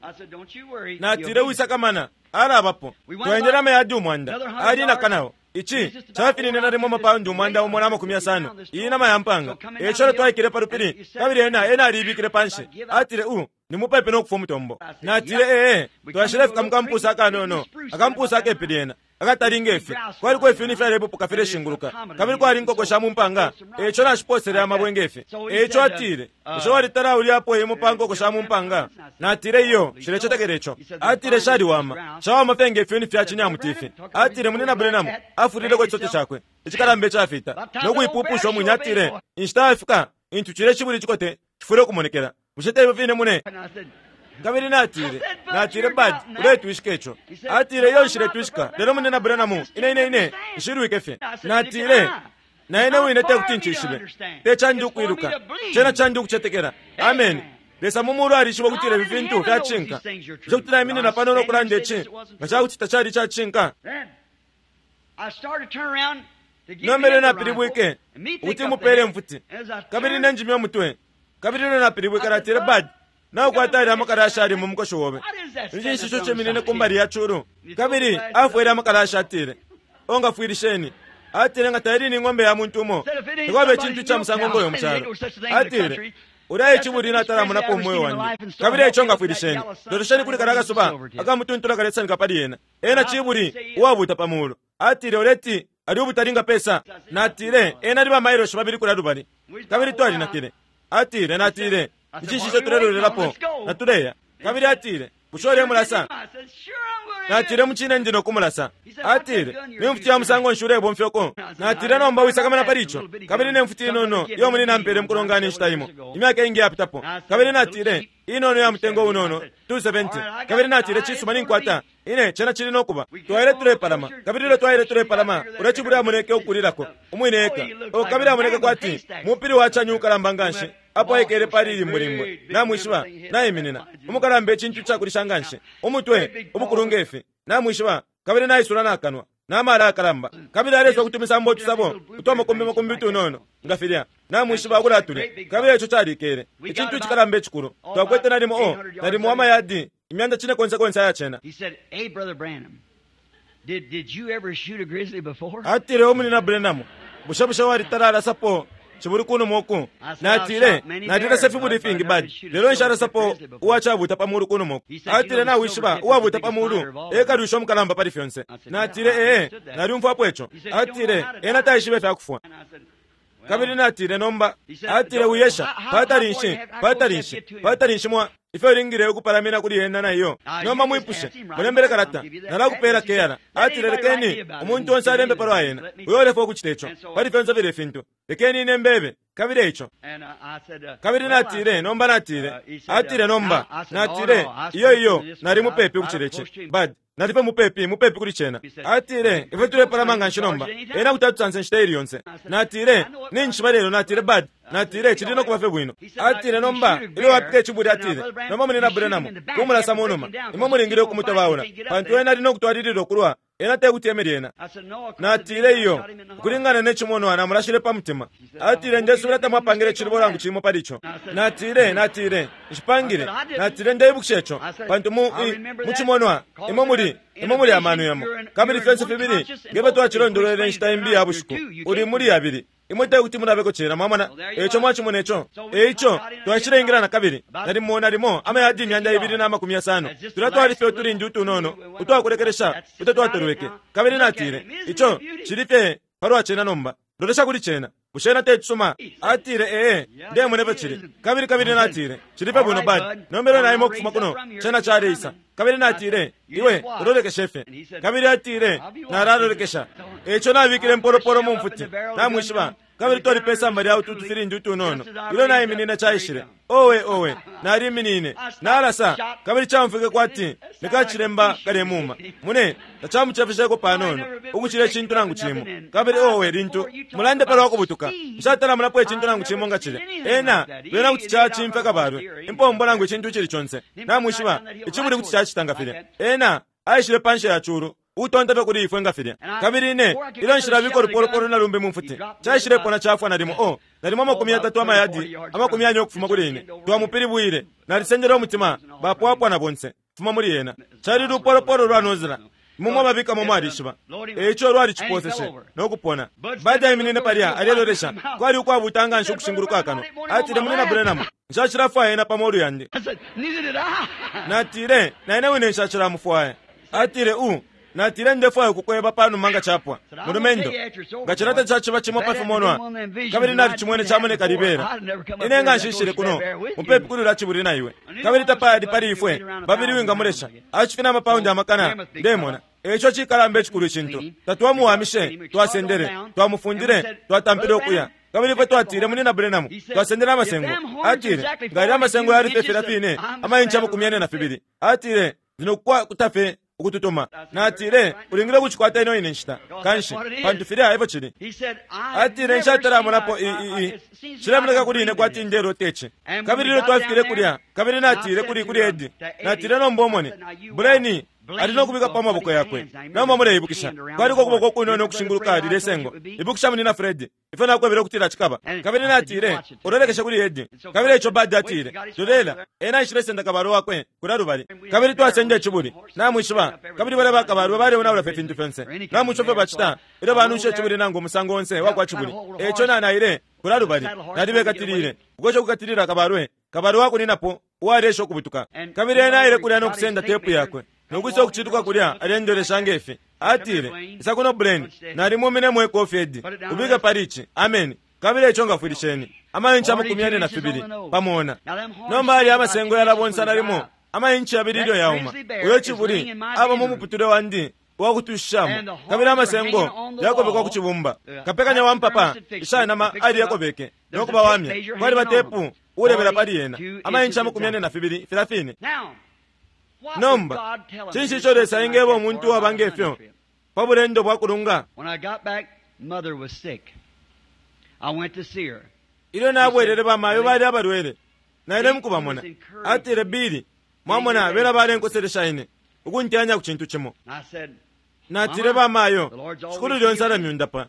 Natile, Wisakamana, alabapo. Twaendele amayadi 100, ali naka nao. Ici cafinine nalimo amapaundi 160, iyi nama ya mpanga. E ico ilyo twaikele pa lupili, kabili ena, ena aliibikile panshi. Atile, U, ni mupepi no kufwa umutombo. Natile, Ee. Twashilefika mu kampusa akanono, akampusa akepi lyena, akatali nge fi. Kwaliko ifyuni fyalepupuka fileshinguluka, kabili kwali inkoko sha mu mpanga, e ico nashipoosele amabwe nge fi. E ico atile, Bushe walitala aulyapo imo pa nkoko sha mu mpanga? Natile, Iyo, nshilecetekela ico. Atile, Shaliwama. Shawama fye nge fyuni fya cinyamuti ifi. Atile, Munyina Branham afulileko icisote cakwe icikalamba icafita no kuipupusha umwine. Atile, Inshita yafika intu cilya icibuli icikote cifwile ukumonekela. Bushe te ifyo fine, mune? Kabili natile, natile, Bud, uletwishika ico. Atile, Iyo, nshiletwishika. Lelo, Munyina Branham, ine, ine, ine, nshilwike fye. Natile, Na ine wine te kuti ncishibe. Te candi ukwiluka. Cena candi ukucetekela. Ameni. Lesa mu Mulu alishiba ukutila ifi fintu fya cishinka. Bushe kuti naiminina pano no kulanda ici nga ca kuti tacali ica cishinka? Nomba ilyo napilibwike ukuti mupeele imfuti, kabili ine njimye umutwe, kabili ilyo napilibwike natile, Bud, naukwata yalya amakalashi ayali mu mukoshi obe. Ni cinshi ico ciminine ku mbali ya culu? Kabili afwele amakalashi atile, O ngafwilisheni. Atile, Nga taili ni ng'ombe ya muntu umo, takwaba icintu ica musango ngo yo mu calo. Atile, Ulya e cibuli natalamonapo mu mweo wandi. Kabili eico ngafwilisheni. Lolesheni kuli kalya kasuba akamutuntula kalesanika pali ena. Ena cibuli uwabuuta pa mulu. Atile, Uleti ali ubutali nga pesa? Natile, Ena ali ba mailoshi babili kulya lubali. Kabili twalinakile. Atile, Natile, Ni cinshi ico tulelolelapo? Natuleya. Kabili atile, Bushe ulemulasa? Natile, Mucine ndi no kumulasa. Atile, Ni mfuti ya musango nshi ulebomfya uko? Natile, Nomba wisakamana pali ico. Kabili ne mfuti inono iyo munyina ampele mukulongana inshita imo, imyaka iingi iyapitapo. Kabili natile, Inono iya mutengo unono, 270. Kabili natile, Cisuma, ninkwata. Ine, cena cili no kuba. Twaile tulepalama. Kabili ilyo twaile tulepalama, ulya cibuli amoneke ukulilako, umwine eka. Oh, kabili amoneke kwati mupili wa cani ukalamba nganshi, apo aikele pali limbulimbwe, namwishiba, naiminina. Umukalamba icintu icakulisha nganshi, umutwe ubukulu nge fi, namwishiba, kabili naisula nakanwa, na mala ayakalamba. Kabili aleswa kutumisambo utusabo utwa makumbi makumbi utunono, nga filya, namwishiba, ukulatulya. Kabili ico calikele, icintu icikalamba icikulu. Twakwete nalimo, oh, nalimo amayadi imyanda cine konse konse aya cena. He said, Hey, Brother Branham, did, did you ever shoot a grizzly before? Atile, O Munyina Branham, bushe bushe walitala alasapo cibuli kunuma uku. Natile, Nalilasa ifibuli ifingi, Bud, lelo nshalasapo uwacabuta pa mulu kunuma uku. Atile, Nawishiba, uwabuta pa mulu e kalwisha umukalamba pali fyonse. Natile, Ee, nalyumfwapo ico. Atile, Ena taishiba ifya kufwa. Kabili natile, Nomba, atile, wiyesha, patali nshi, patali nshi, patali nshi mwa ifyo ulingile ukupalamina kuli ena na iyo. Nomba mwipushe, mulembele kalata, nalakupela keyala. Atile, Lekeni umuntu onse alembe palwa ena, uyo ulefwaya ukucita ico, pali fyonse filya ifintu. Lekeni ine mbebe, kabili eico. Kabili natile, Nomba natile, atile, nomba, natile, Iyo, iyo, nali mupepi ukucila ici, Bud. Nali fye mupepi, mupepi kuli cena. Atile, Ifwe tulepalama nganshi nomba. Ena kuti atusansa inshita ili yonse. Natile, Ninjishiba lelo, natile, Bud, natile, cili no kuba fye bwino. Atile, Nomba, ilyo wapita icibuli, atile, nomba Munyina Branham, kumulasa mu numa. Imwe mulingile ukumutobaula, pantu ena ali no kutwalilila ukulwa. Ena tekuti eme lyena. Natile, Iyo, ukulingana ne cimonwa namulashile pa mutima. Atile, Ndesubila tamwapangile icilubo nangu cimo pali ico. Natile, Natile, Nshipangile. Natile, Ndeibukisha ico, pantu mu, i, mu cimonwa, imwe muli, imwe muli amano yamo. Kabili fyonse fibili, nge fyo twacilondolwele inshita imbi ya bushiku, uli muli yabili. Imwe tekuti mulabeko cena, mwamona. Eico mwacimona ico. Eico, twaishileingila nakabili, nalimo, nalimo amayadi 260. Tulya twali fye utulindi utunono utwakulekelesha uto twatolweke. Kabili natile, Ico cili fye palwa cena nomba. Lolesha kuli cena. Bushe cena te cisuma? Atile, Ee, ndemona ifyo cili. Kabili, kabili natile, Cili fye bwino, Bud. Nomba ilyo naima ukufuma kuno, cena caleisa. Kabili natile, Iwe ulolekeshe fye. Kabili atile, Nalalolekesha. Eico nabikile impolopolo mu mfuti, namwishiba, kabili twali pe samba lya utu tufilindi utunono. Ilyo naiminine caishile. Owe, owe! Naliminine, nalasa, kabili caumfwike kwati ni kacilemba kalemuuma. Mune, tacamucefesheko panono ukucila icintu nangu cimo. Kabili owe, lintu mulande palwa kubutuka, nshatala monapo icintu nangu cimo nga cilya. Ena, bena kuti cacimfya kabalwe, impombo nangu icintu icili conse. Namwishiba, icibuli kuti cacita nga filya. Ena aishile panshi ya culu, ukutonta fye kuli ifwe nga filya. Kabili ine, ilyo nshilabika ulupolopolo na lumbi mu mfuti, caishilepona cafwa nalimo, oh, nalimo 30 amayadi 40 ukufuma kuli ine. Twamupilibwile. Nalisendele umutima, bapwapwa na bonse, fuma muli ena. Cali lupolopolo lwa nozila. Imwe mwababikamo mwalishiba. E ico lwaliciposeshe, no kupona. Bud aiminine palya, alelolesha. Kwali ukwabuta nganshi ukushinguluka akanwa. Atile, Munyina Branham, nshacilafwaya ena pa molu yandi. Natile, Na ine wine nshacilamufwaya. Atile, U. Natile, Ndefwaya ukukweba panuma nga capwa, mulumendo. Nga cilya tacaciba cimo pa fimonwa, kabili nalicimwene camoneka libela, ine nga nshishile kuno mupepi kuli ulya cibuli na iwe. Kabili tapali pali ifwe babili wingamulesha. Acifina amapaundi amakana, ndemona. Eico cikalamba icikulu icintu. Tatwamuwamishe, twasendele, twamufundile, twatampile ukuya. Kabili ifwe twatile, Munyina Branham, twasendele amasengo. Atile, Nga yalya amasengo yali fye filya fine amainchi 42, atile, ndi no kukwata fye ukututuma. Natile, Ulingile ukucikwata ino ine nshita, kanshi, pantu filya efyo cili. Atile, Nshatalamonapo i, i, i. Cilemoneka kuli ine kwati ndelota ici. Kabili ilyo twafikile kulya, kabili natile kuli, kuli Eddie, natile, Nomba umone, Blaine ali no kubikapo amaboko yakwe. Nomba muleibukisha, kwaliko ukuboko ukunono ukushinguluka lilye sengo. Ibukisha, Munyina Fred, ifyo nakwebele ukutila cikaba. Kabili natile, Ulolekeshe kuli Eddie. Kabili eico Bud atile, Lolela, ena aishilesenda kabalwe wakwe kulya lubali. Kabili twasenda icibuli, namwishiba, kabili balya bakabalwe baleonaula fye ifintu fyonse. Namwishiba ifyo bacita ilyo banunsha icibuli nangu umusango onse wakwa cibuli. Eico na, naile kulya lubali, nalibekatilile, ukwesha ukukatilila kabalwe, kabalwe wakuninapo uwaleesha ukubutuka. Kabili ena aile kulya no kusenda tepu yakwe, no kwisa ukucituka kulya alendolesha nge fi. Atile, Isa kuno, Blaine. Nalimuminemo ikofi, Eddie. Ubike pali ici. Ameni. Kabili eico ngafwilisheni. Amainchi 42 pa mona. Nomba yalya amasengo yalabonsa nalimo amainchi 2 ilyo yauma. Uyo cibuli aba mu muputule wandi uwakutushishamo, kabili amasengo yakobekwa ku cibumba. Kapekanya wa mpapa isha nama aliyakobeke no kubawamya. Kwaliba tepu uulebela pali yena, amainchi 42 filya fine. Nomba, cinshi ico Lesa engeba umuntu uwaba nge fyo pa bulendo bwa kulunga? Ilyo nabwelele, bamayo bali abalwele. Naile mukubamona. Atile, Billy, mwamona, bena balenkoselesha ine, ukunteyanya ku cintu cimo. Natile, Bamayo, Shikulu lyonse alamyundapa.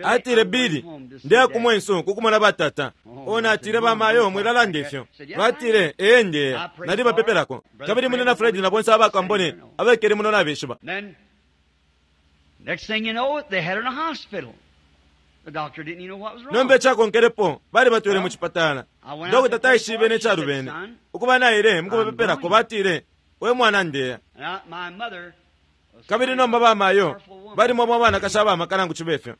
Atile, Billy, ndeya ku mwensu ku kumona batata. Oh, natile, Bamayo, mwilalanda ifyo. Batile, Ee, ndeya. Nalibapepelako. Kabili Munyina Fred na bonse aba kambone abekele muno nabeshiba. Next thing you know, they had her in a hospital. Nomba icakonkelepo balibatwele mu cipatala. Dokota taishibe ne calubene. Ukuba naile mukubapepelako, batile, We mwana, ndeya. Kabili nomba bamayo balimo abo abanakashi abamaka nangu cibe fyo.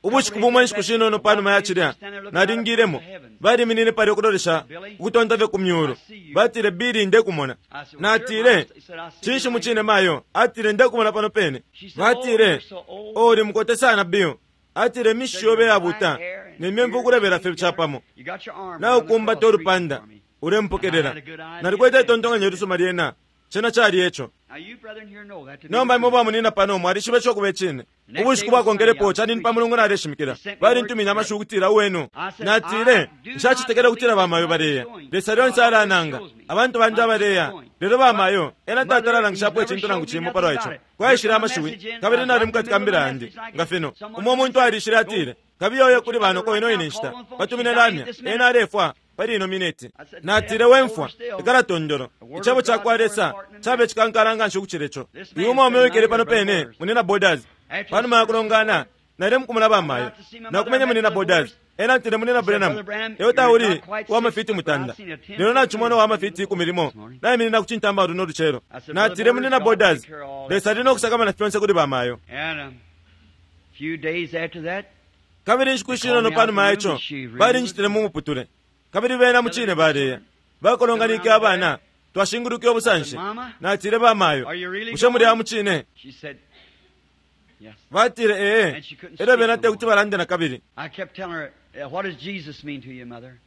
Ubushiku bumo inshiku shinono panuma ya cilya, nalingilemo. Baliminine palya ukulolesha ukutonta fye ku myulu. Batile, Billy, ndekumona. Natile, Cinshi mucine, mayo? Atile, Ndekumona pano pene. Batile, Oh, uli mukote sana, Bill. Atile, Imishishi yobe yabuta ne myemfu ukulebela fye capamo. Naukumbata ulupanda, ulempokelela. Nalikwete itontonkanyo ilisuma lyena. Cena cali eco. Nomba imwe bamunina pano mwalishiba ico kuba icine. Ubushiku bwakonkelepo cali ni pa Mulungu naleshimikila. Balintumine amashiwi ukutila uwenu. Natile, Nshacetekele ukutila bamayo baleya. Lesa lyonse alananga. Abantu bandi abaleya. Lelo bamayo, ena tatala alangishapo icintu nangu cimo palwa ico. Kwaishile amashiwi, kabili nali mukati ka mbila yandi, nga fino. Umo umuntu alishile atile, Kabiye uye kuli banoko ino ine nshita. Batumine lamya. Ena alefwa. Pali ino mineti. Natile, We mfwa, ikala tondolo. Icebo cakwa Lesa cabe cikankala nganshi ukucila ico. Uyu umwaume uwikele pano pene, Munyina Borders. Panuma ya kulongana, naile mukumona ba mayo. Nakumenye Munyina Borders. Ena atile, Munyina Branham, iwe tauli uwa mafiti 9, lelo nacimona uwa mafiti 10 naiminina ku cintamba luno lucelo. Natile, Munyina Borders, Lesa ali no kusakamana fyonse kuli ba mayo. Kabili inshiku ishinono panuma ya ico, balinjitile mu muputule, kabili bena mucine baleya. Bakolonganike abana, twashingulwike ubusanshi. Natile, Ba mayo, bushe muli aba mucine? Batile, Ee. Elyo bena tekuti balande nakabili.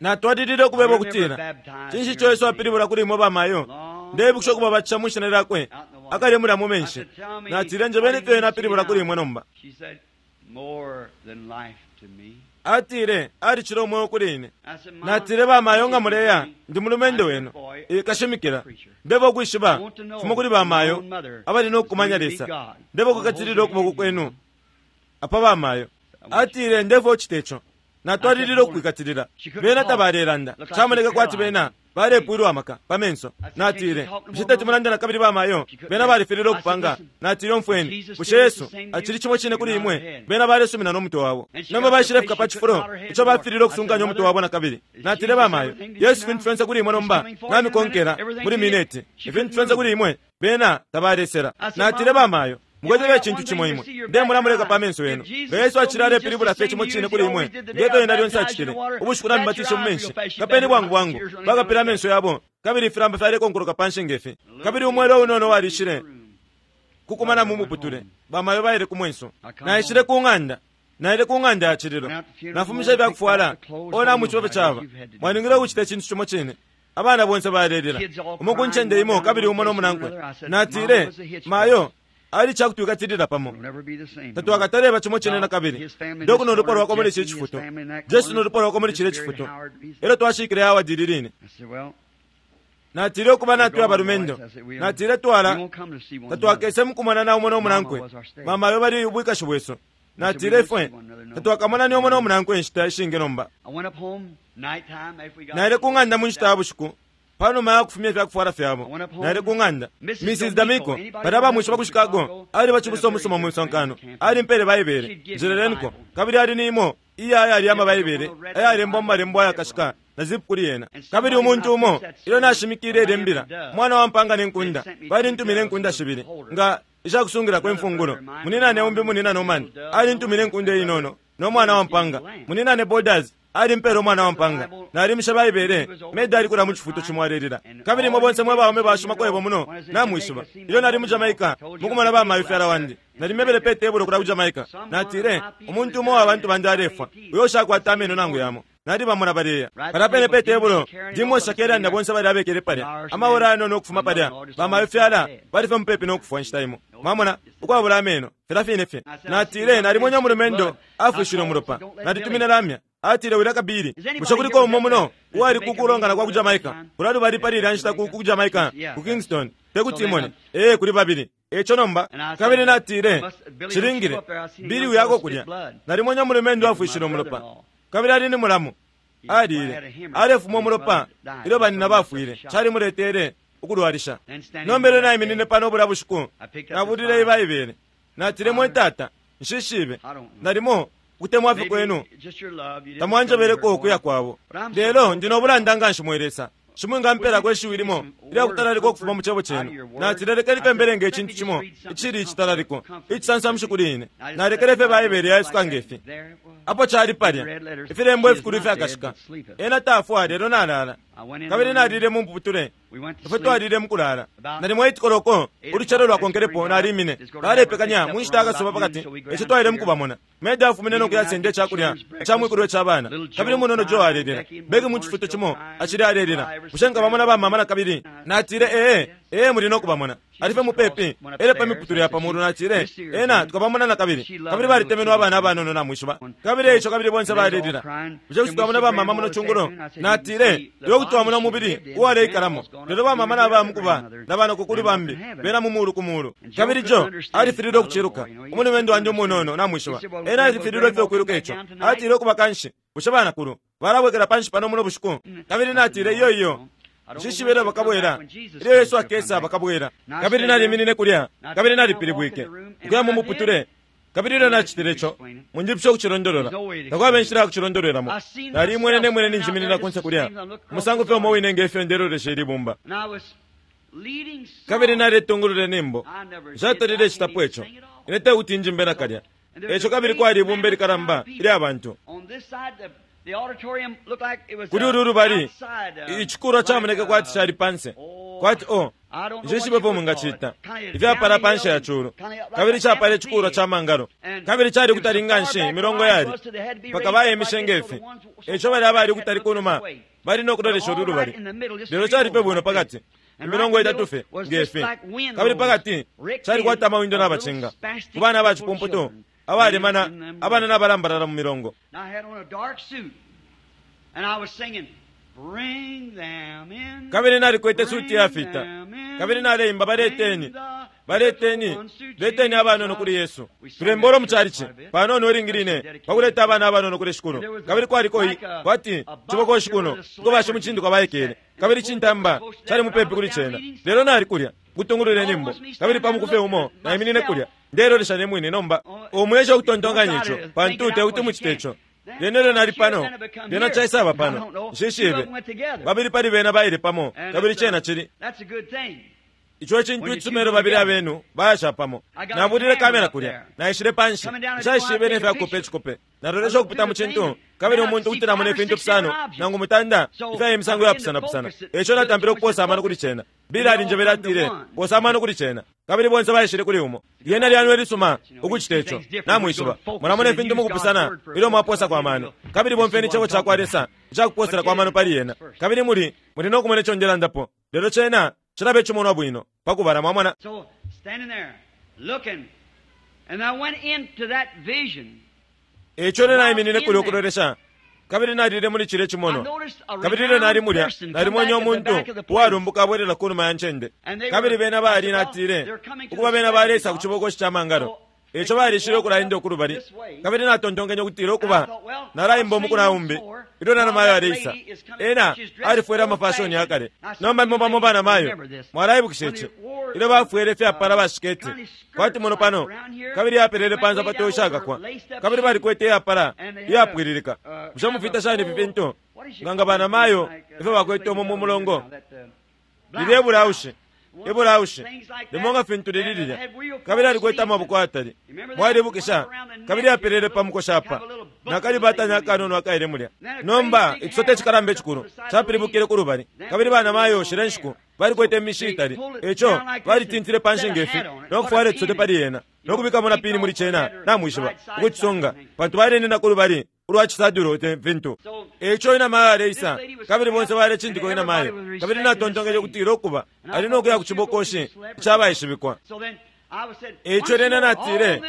Natwalilile ukubeba ukutila, Cinshi ico Yesu apilibula kuli imwe bamayo? Ndeibukisha ukubabatisha mwi Shina Lyakwe akale mulya mu menshi. Natile, Njebeni ifyo Ena apilibula kuli imwe nomba. Atile, Alicila umweo kuli ine. Natile, Bamayo, nga muleya, ndi mulumendo wenu, kashimikila. Ndeba ukwishiba fimo kuli bamayo abali no kukumanya Lesa. Ndeba ukukatilila ukuboko kwenu apa bamayo. Atile, Ndefwa ucite ico. Natwalilile ukwikatilila. Bena tabalelanda. Camoneke kwati bena balepwilwa amaka pa menso. Natile, Bushe teti mulande na kabili bamayo? Bena balifililwe ukupanga. Natile, Umfweni, bushe Yesu acili cimo cine kuli imwe? Bena balesumina no mutwe wabo. Nomba baishilefika pa cifulo ico bafililwe ukusunkanya umutwe wabo na kabili. Natile, Bamayo, Yesu fintu fyonse kuli imwe nomba. Namikonkela muli mineti. Ifintu fyonse kuli imwe. Bena tabalesela. Natile, Bamayo, mukwete icintu cimo imwe. Ndemona muleka pa menso yenu. Nga Yesu acili alepilibula fye cimo cine kuli imwe, nge fyo Ena lyonse acitile, ubushiku Namibatishe mu menshi, kapeni bwangu bwangu, bakapile amenso yabo, kabili ifilamba fyalekonkoloka panshi nge fi. Kabili umwela unono walishile kukumana mu muputule. Bamayo baile ku mwenso. Naishile ku ng'anda. Naile ku ng'anda ya cililo. Nafumishe ifya kufwala. O namwishiba ifyo caba. Mwalingile ukucita icintu cimo cine. Abana bonse balelila, umo ku ncende imo kabili umo no munankwe. Natile, Mayo ali ca kutwikatilila pamo. Tatwakataleba cimo cine na kabili. Doc no lupwa lwakwe muli ici cifutu, Jesse no lupwa lwakwe muli cilya cifutu. Elyo twashikile Howard ili line. Natile, Ukuba natwe abalumendo. Natile, Twala, tatwakese mukumona na umo no munankwe. Bamayo bali ubwikashi bwesu. Natile, Ifwe tatwakamonane umo no munankwe inshita ishingi nomba. Naile ku ng'anda mu nshita ya bushiku pa numa ya kufumya ifya kufwala fyabo. Naile ku ng'anda. Mrs. D'Amico, balya abamwishiba ku Chicago, aliba cibusa umusuma mu misonkano. Alimpeele Baibele, njeleleniko, kabili ali ni imo iya yalya ama Baibele ayalembwa mu malembo ayakashika na zipu kuli yena. Kabili umuntu umo, ilyo nashimikile ilye mbila, Umwana wa mpaanga ne nkunda, balintumine inkunda shibili, nga ishakusungilako imfungulo. Muninane umbi, Munina Norman, alintumine inkunda inono no mwana wa mpanga. Muninane Borders alimpele umwana wa mpanga. Nalimishe Baibele. Meda ali kulya mu cifutu cimo alelila. Kabili imwe bonse mwe baume bashuma kwebo muno namwishiba. Ilyo nali mu Jamaica mukumona ba mayo fyala wandi, nalimebele pe tebulo kulya ku Jamaica. Natile, Umuntu umo uwa bantu bandi alefwa, uyo ushakwata ameno nangu yamo. Nalibamona baleya palya pene pe tebulo, Jim Shakarian na bonse balya abekele palya, amaora ayanono ukufuma palya, ba mayo fyala bali fye mupepi no kufwa inshita imo. Mwamona, ukwabula ameno, filya fine fye. Natile, Nalimwene umulumendo afwishile umulopa. Nalitumine lamya. Atile, Wilaka Billy, bushe kuliko umo muno uwali ku kulongana kwa ku Jamaica? Kulya lubali pali ilya nshita ku, ku Jamaica, ku Kingston. Te kuti imone. Ee, kuli babili. Eico nomba, kabili natile, Cilingile, Billy uyako kulya. Nalimwene umulumendo afwishile umulopa. Kabili ali ni mulamu. Alile, alefuma umulopa ilyo banina bafwile. Calimuletele ukulwalisha. Nomba ilyo naiminine pano bulya bushiku, nabulile Ibaibele. Natile, Mwe Tata, nshishibe. Nalimo. Ukutemwa fye kwenu tamwanjebeleko ukuya kwabo. Lelo ndi no bulanda nganshi, mwe Lesa. Shi mwingampelako ishiwi limo ilya kutalalikwa ukufuma mu Cebo Cenu. Natile, Lekeni fye mbelenge icintu cimo icili icitalaliko, icisansamushi kuli ine. Nalekele fye Baibele yaisuka nge fi. Apo cali palya, ifilembo ifikulu ifyakashika. Ena tafwa, lelo nalala. Kabili nalile mu muputule. Ifwe twalile mukulala. Nalimo 8 koloko ulucelo lwakonkelepo nalimine. Balepekanya mu nshita akasuba pakati, eco twaile mukubamona. Meda afumine no kuyasenda icakulya ca mwikulwe ca bana, kabili umunono Joe alelila. Becky mu cifuto cimo acili alelila. Bushe nkabamona bamama na kabili? Natile, Ee, ee, muli no kubamona. Ali fye mupepi, elyo pa miputule ya pa mulu. Natile, Ena tukabamona na kabili. Kabili balitemenwe abana abanono, namwishiba. Kabili eico kabili bonse balelila. Bushe kuti twamona bamama muno cungulo? Natile, Lelo kuti twamona umubili uwaleikalamo. Lelo bamama nabaya mukuba na banoko kuli bambi, bena mu mulu ku mulu. Kabili Joe alifililwe ukuciluka. Umulumendo wandi umunono, namwishiba. Ena alifililwe fye ukwiluka ico. Atile, Ukuba kanshi, bushe banakulu balabwekela panshi pano muno bushiku? Kabili natile, Iyo, iyo. Nshishibe ilyo bakabwela. Ilyo Yesu akesa, bakabwela. Kabili naliminine kulya, kabili nalipilibwike, ukuya mu muputule. Kabili ilyo nacitile ico, munjipushe ukucilondolola, takwaba inshila ya kucilondolwelamo. Naliimwene ne mwine ninjiminina kunse kulya, umusango fye umo wine nge fyo ndelolesha ili bumba. Kabili naletungulula inyimbo. Nshatalile citapo ico. Ine tekuti njimbe nakalya. Eco kabili kwali ibumba ilikalamba ilya bantu. Kuli ulu lubali, icikulwa camoneke kwati cali panse, kwati o, nshishibepo mwingacita, ifyapala panshi ya culu, kabili capala icikulwa ca mangalo, kabili cali kutali nganshi imilongo yali, mpaka bayemishe nge fi. Eco balya abali kutali kunuma bali no kulolesha ulu lubali, lelo cali fye bwino pakati, imilongo itatu fye nge fi, kabili pakati calikwata amawindo nabacinga ku bana aba cipumputu abalemana, abana nabalambalala mu milongo. Kabili nalikwete suti yafita, kabili naleimba, Baleteni, baleteni, leteni abanono kuli Yesu. Tulembolo mu chalichi panono ilingi line pakuleta abana abanono kuli Shikulu. Kabili kwaliko i kwati cibokoshi kuno uko bashimucindikwa baikele, kabili cintamba cali mupepi kuli cena. Lelo nali kulya kutungulula inyimbo, kabili pa muku fye umo naiminine kulya ndelolesha ne mwine. Nomba umwesha ukutontonkanya ico, pantu tekuti mucite ico. Lyena ilyo nali pano, lyena caisaba pano, nshishibe. Babili pali bena baile pamo, kabili cena cili ico ecintu icisuma ilyo babili abenu bayasha pamo. Nabulile kamera kulya, naishile panshi, nshaishibe ne fya kukopa icikope. Nalolesha ukupita mu cintu, kabili umuntu kuti namona ifintu fisano nangu mutanda ifya imisango yapusanapusana. Eco natampile ukupoosa amano kuli cena. Bill alinjebele, atile, Poosa amano kuli cena. Kabili bonse baishile kuli umo. Lyena lyanwe lisuma ukucita ico. Namwishiba, mulamona ifintu mukupusana ilyo mwapoosako amano. Kabili bomfyeni Icebo cakwa Lesa icakupooselako amano pali yena, kabili muli, muli no kumona ico ndelandapo. Lelo cena cilaba icimonwa bwino pakubala, mwamona. So, standing there, looking, and I went into that vision. Eico ine naiminine kulya ukulolesha, kabili nalile muli cilya cimonwa. Kabili ilyo nali mulya, nalimwene umuntu uwalumbuka abwelela ku numa ya ncende. Kabili bena bali, natile, ukuba bena baleisa ku cibokoshi ca mangalo. Eico balishile ukulaenda uku lubali. Kabili natontonkenye ukutila, Ukuba, nalaimba umuku na umbi ilyo nanamayo aleisa. Ena alifwele amafashoni yakale. Nomba imwe bamo banamayo mwalaibukisha ici, ilyo bafwele ifyapala bashiketi kwati muno pano, kabili yapelele pansa pa toshakakwa, kabili balikwete iyapala iyapwililika. Bushe mufita shani ifi fintu? Nga nga banamayo ifyo bakwete umo mu mulongo, lilya ibulaushi, ibulaushi limo nga fintu lili lilya, kabili alikwete amaboko ayatali, mwalibukisha, kabili apelele pa mukoshi apa nakalibatanya akanono akaile mulya. Nomba icisote icikalamba icikulu capilibukile ku lubali, kabili banamayo shile nshiku balikwete imishi itali, eco balitintile panshi ngefi no kufwala icisote pali yena no kubikamo na pini muli cena, namwishiba, ukucisunga, pantu balenina ku lubali ulwa cisadulo te fintu. Eco inamayo aleisa, kabili bonse balecindika inamayo, kabili natontonkenye ukutila, Ukuba, ali no kuya ku cibokoshi icabaishibikwa. Eco lyena natile,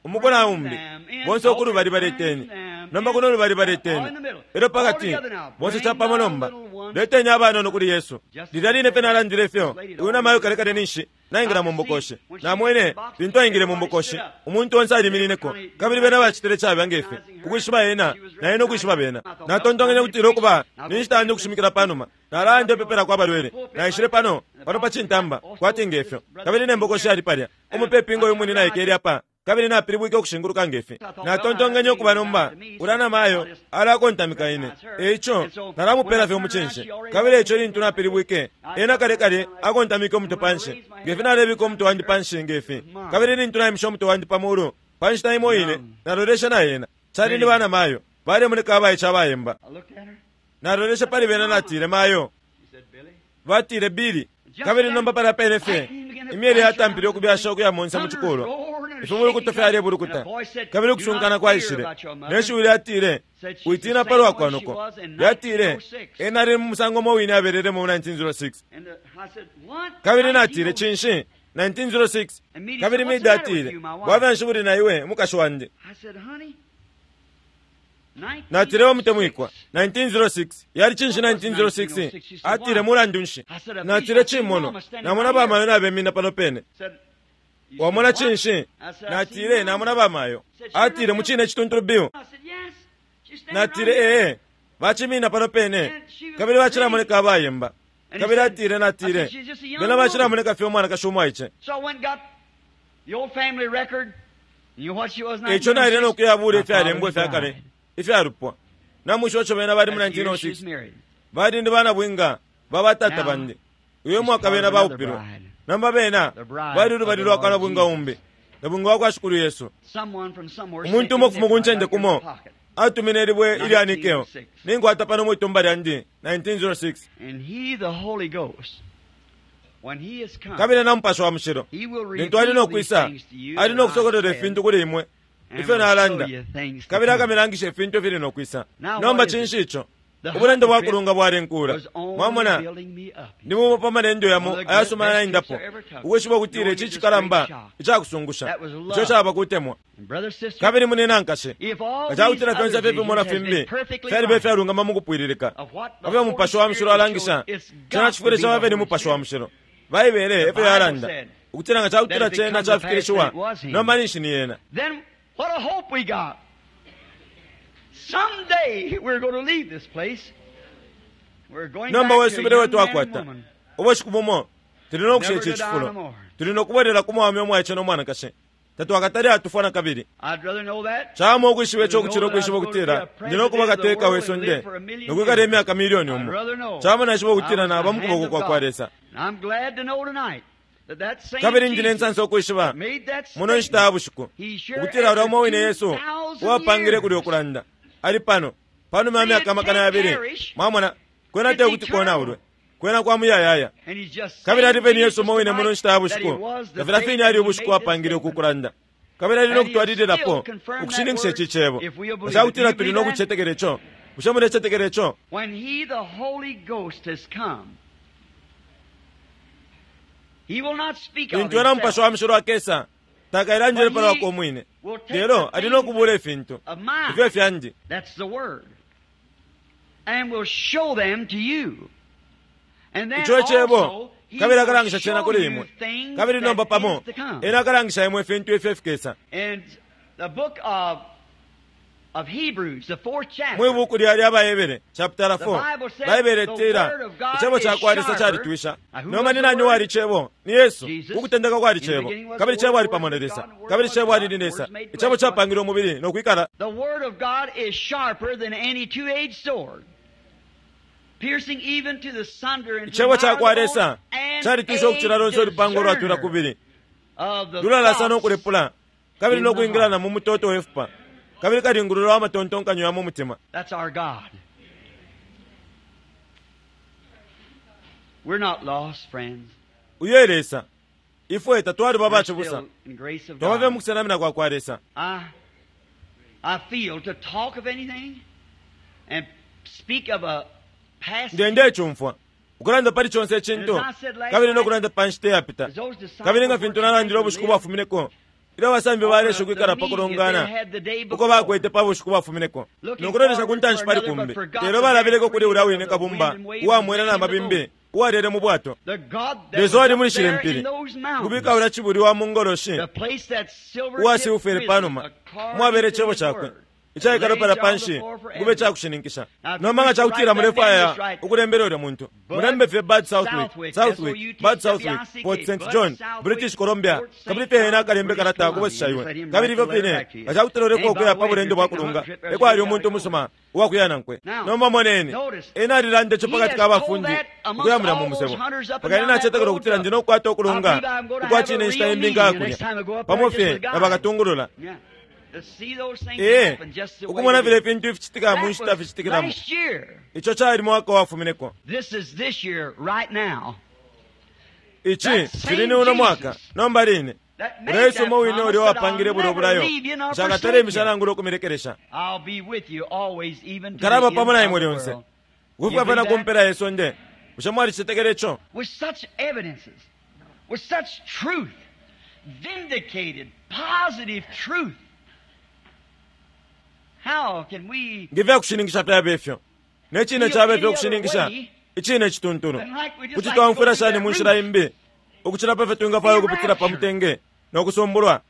Umuku na umbi, bonse uku lubali baleteni, nomba kuno lubali baleteni, elyo pakati, bonse capamo nomba, leteni abanono kuli Yesu. Lilya line fye nalandile ifyo, uyu namayo kale kale ninshi naingila mu mbokoshi. Namwene lintu aingile mu mbokoshi, umuntu onse aliminineko, kabili bena bacitile cabe nge fi, ukwishiba ena, na ena ukwishiba bena. Natontonkenye ukutila, Ukuba, ninshita yandi ukushimikila panuma. Nalaya ndepepelako abalwele. Naishile pano, pano pa cintamba, kwati nge fyo. Kabili ne mbokoshi yali palya, umupepi ngo uyu mwine naikele apa. Kabili napilibwike ukushinguluka ngefi. Natontonkenye ukuba nomba ulya namayo alakontamika ine, eico nalamupela fye umucinshi. Kabili eico lintu napilibwike, ena kale kale akontamike umutwe panshi ngefi. Nalebika umutwe wandi panshi ngefi, kabili lintu naimishe umutwe wandi pa mulu pa nshita imo ine, naloleshe na ena. Cali ni banamayo, balemoneka abaice abayemba. Naloleshe pali bena, natile, "Mayo." Batile, "Billy." Kabili nomba palya pene fye imyele yatampile ukubyasha ukuya monse mu cikulwa, ifibulukuto fyalebulukuta, kabili ukusunkana kwaishile, ne shiwi lyatile, "Witina palwa kwa noko." Lyatile, "Ena ali mu musango mo wine abelelemo mu 1906." Kabili natile, "Cinshi, 1906?" Kabili Mida atile, "Bwafya nshi buli na iwe, umukashi wandi?" Natile, "Mutemwikwa, 1906 yali cinshi? 1906?" Atile, "Mulandu nshi?" Natile, "Cimono. Namona bamayo nabemina pano pene." "Wamona cinshi?" Natile, "Namona bamayo." Atile, "Mucine cituntulu, Bill?" Natile, "Ee, bacimina pano pene, kabili bacilamoneka abayemba." Kabili atile, natile, "Bena bacilamoneka fye umwanakashi umwaice." Eico naile no kuyabula ifyalembwa ifyakale ifyalupwa. Namwishiba ico bena bali mu 1906? Bali ndi bana bwinga ba batata bandi. Uyo mwaka bena baupilwe. Nomba bena bali lubali lwa kwa nabwinga umbi, nabwinga wa kwa Shikulu Yesu. Umuntu umo kufuma ku ncende kumo atumine libwe ilya nikeo, ninkwata pano mwitumba lyandi, 1906. Kabili na Mupashi wa Mushilo, lintu ali no kwisa, ali no kusokolola ifintu kuli imwe ifyo nalanda, kabili akamilangisha ifintu ifili no kwisa. Nomba cinshi ico? Ubulendo bwa kulunga bwalenkula. Mwamona, ni bumo pa malendo yamo ayasuma naendapo, ukwishiba ukutila ici cikalamba icakusungusha, ico caba kutemwa. Kabili mune nankashe, nga cakutila fyonse ifyo ifimona fimbi fyaliba ifyalungama mukupwililika pafyo Mupashi wa Mushilo alangisha, cena cifwile caba fye ni Mupashi wa Mushilo. Baibele efyo yalanda, ukutila nga cakutila cena cafikilishiwa, nomba ninshi ni yena. What a hope we got! Someday we're going to leave this place. We're going Nomba back to a wesubile young man and twakwata! woman. Ubushiku bumo tuli no kusha Never ici to die no cifulo, more. tuli no kubwelela ku mwaume umwaice no mwanakashi. Tatwakatale atufwa na kabili. I'd rather know that. Cawama ukwishiba ico ukucila ukwishiba ukutila ndi no kuba kateka we sonde no kwikala imyaka milioni I'd umo. rather know Cawama naishiba I ukutila was in naba the mu hand kuboko of kwa kwa God. Lesa. And I'm glad to know tonight that that same Kabili ndi ne Jesus nsansa ukwishiba made that muno nshita ya statement. bushiku He sure ukutila ulya after umo wine Yesu 2,000 uwapangile kulya years. ukulanda ali pano panuma ya See, myaka it amakana can't yabili. perish. Mwamona, kwena It's te kuti eternal. konaulwe, kwena kwa muyayaya. And he's just Kabili same ali peni Yesu Jesus umo wine muno tonight nshita ya that he bushiku was the nga filya day fine that ali he ubushiku made this apangile uku statement. kulanda, kabili ali no And he'll still kutwalililapo confirm that ukushininkisha word ici cebo if we'll nga believe ca it. Do kutila you tuli believe no that? kucetekela ico. Bushe mulecetekela ico? When he, the Holy Ghost, has come, he will not speak of Lintu ena Mupashi himself, wa Mushilo akesa, takailandile but pa lwakwe he umwine, will take lelo the ali no things kubula ifintu of mine. ifyo fyandi. That's the word. And will show them to you. And then Ico cebo, also he kabili will akalangisha cena show kuli you imwe. things Kabili that nomba pamo is to come. ena akalangisha imwe ifintu ifyo fikesa. And the book of Hebrews, the fourth Mwi chapter, buku lya lya Bahebere chapter the 4, Bible says Baibele the itila word of God icebo ca is kwa Lesa sharper. calitwisha. Now, who Nomba was ni the nani word? wali cebo? Ni Yesu. Jesus. Ukutendeka kwali In the cebo, beginning was kabili the cebo Word, ali the pamo Word na was Lesa, God, and the Word kabili was cebo God, ali ni and the Lesa. Word made Icebo flesh. capangile umubili no kwikala. The word of God is sharper than any two-edged sword, piercing even to the sunder and to the Icebo ca marrow kwa of the Lesa bone, and calitwisha a ukucila lonse ulupanga ulwatwila discerner kubili, of the lulalasa no thoughts kulepula, kabili in no the kwingila na heart. mu mutoto we fupa, kabili kalingulula wa matontonkanyo ya mu mutima. That's our God. We're not lost, friends. Uyo e Lesa. Ifwe tatwaliba We're abacibusa, still in grace of twaba fye mu God. kusenamina kwa kwa Lesa. I feel to talk of anything and speak of a past Ndiye ndecumfwa ukulanda pali conse And icintu as I said last kabili no night, kulanda pa nshita iyapita, as those disciples kabili nga were fintu trying nalandile to ubushiku live bwafumineko ilyo abasambi on balesha the ukwikala pa meeting that they kulongana had the day uko before, bakwete pa bushiku bwafumineko looking no kulolesha ku forward ntanshi for pali another, kumbi, but forgot lelo the very balabeleko kuli ulya creator wine of the kabumba wind and waves and uwamwela man na in the mabimbi boat. uwalele mu bwato. The God that Lesa was wali up muli shile there mpili in those kubika mountains, ulya cibuli wa mu ngoloshi the place that silver-tipped uwasiufele prison panuma according mwabele to cebo his cakwe word. Icaikala palya panshi ukuba icakushininkisha. Nomba nga cakutila mulefwaya ukulembela ulya muntu, mulembe fye Bud Southwick, Southwick, Bud Southwick, Port St. John, British Columbia, kabili fye ena akalembe kalata kubwesesha iwe. Kabili ifyo fine, nga cakutila ulefwaya ukuya pa bulendo bwa kulunga, ekwali umuntu umusuma uwakuya nankwe. Nomba moneni, ena alilanda ico pakati ka bafundi ukuya mulya mu musebo. Mpaka ine nacetekela ukutila ndi no kukwata ukulunga ukwa cine inshita imbi nkaya kulya, pamo fye na bakatungulula. Ee, ukumona filya ifintu ificitika mu nshita ficitikilamo. Ico cali mwaka wafumineko. Ici cili ni uno mwaka, nomba line. Ulya Yesu umo wine ulya uwapangile bulya ubulayo, nshakatale imisha nangula ukumilekelesha. Nkalaba pamo na imwe lyonse, ukufika fye na ku mpela ye sonde. Bushe mwalicetekela ico? Nge fyakushininkisha fyabe fyo, ne cine cabe fyo ukushininkisha icine icituntulu, kuti twaumfwila shani mu nshila imbi ukucila pa fyo twingafwaya ukupitila pa mutenge no kusumbulwa?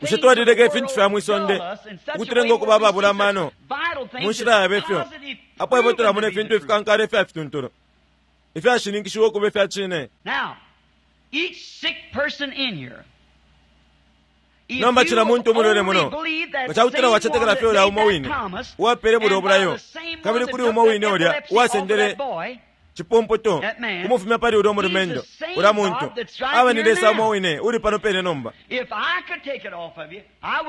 Bushe twalileka ifintu fya mwi sonde ukutulenga ukuba ababula amano mu nshila yabe fyo, apo ifwe tulamona ifintu ifikankala ifya fituntulu ifyashininkishiwa ukuba ifya cine? Nomba cila muntu umulwele muno, nga cakutila wacetekela fye ulya umo wine uwapele bulya ubulayo, kabili kuli umo wine ulya uwasendele cipumputu kumufumya pali ulya umulumendo, ulya muntu aba ni Lesa umo wine uli pano pene nomba.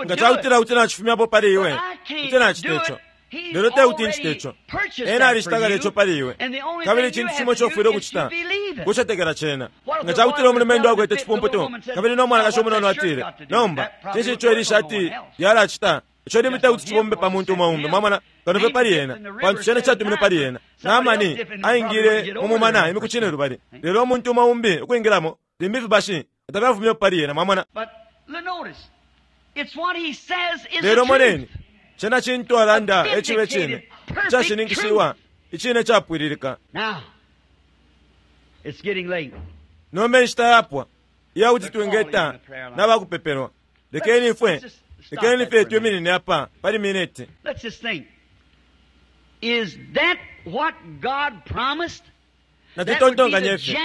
Nga cakutila kuti nacifumyapo pali iwe, kuti nacita ico. Lelo te kuti ncite ico. Ena alishita kale ico pali iwe. Kabili icintu cimo ico ufwile ukucita kucetekela cena. Nga cakutila umulumendo akwete cipumputu, kabili no mwanakashi umunono atile, Nomba, cinshi ico ili shati lyalacita? Ico limbi te kuti cibombe pa muntu umo umbi, mwamona, kano fye pali ena, pantu cena catumine pali ena. Naamani aingile mu mumana imiku cinelubali, lelo umuntu umo umbi ukwingilamo, limbi ifibashi tafyafumyepo pali ena, mwamona. Lelo moneni, cena cintu alanda e cibe cine, icashininkishiwa, icine capwililika. Nomba inshita yapwa iya kuti twingeta na bakupepelwa. Lekeni ifwe, lekeni fye twiminine apa pali miniti. Natutontonkanye fye,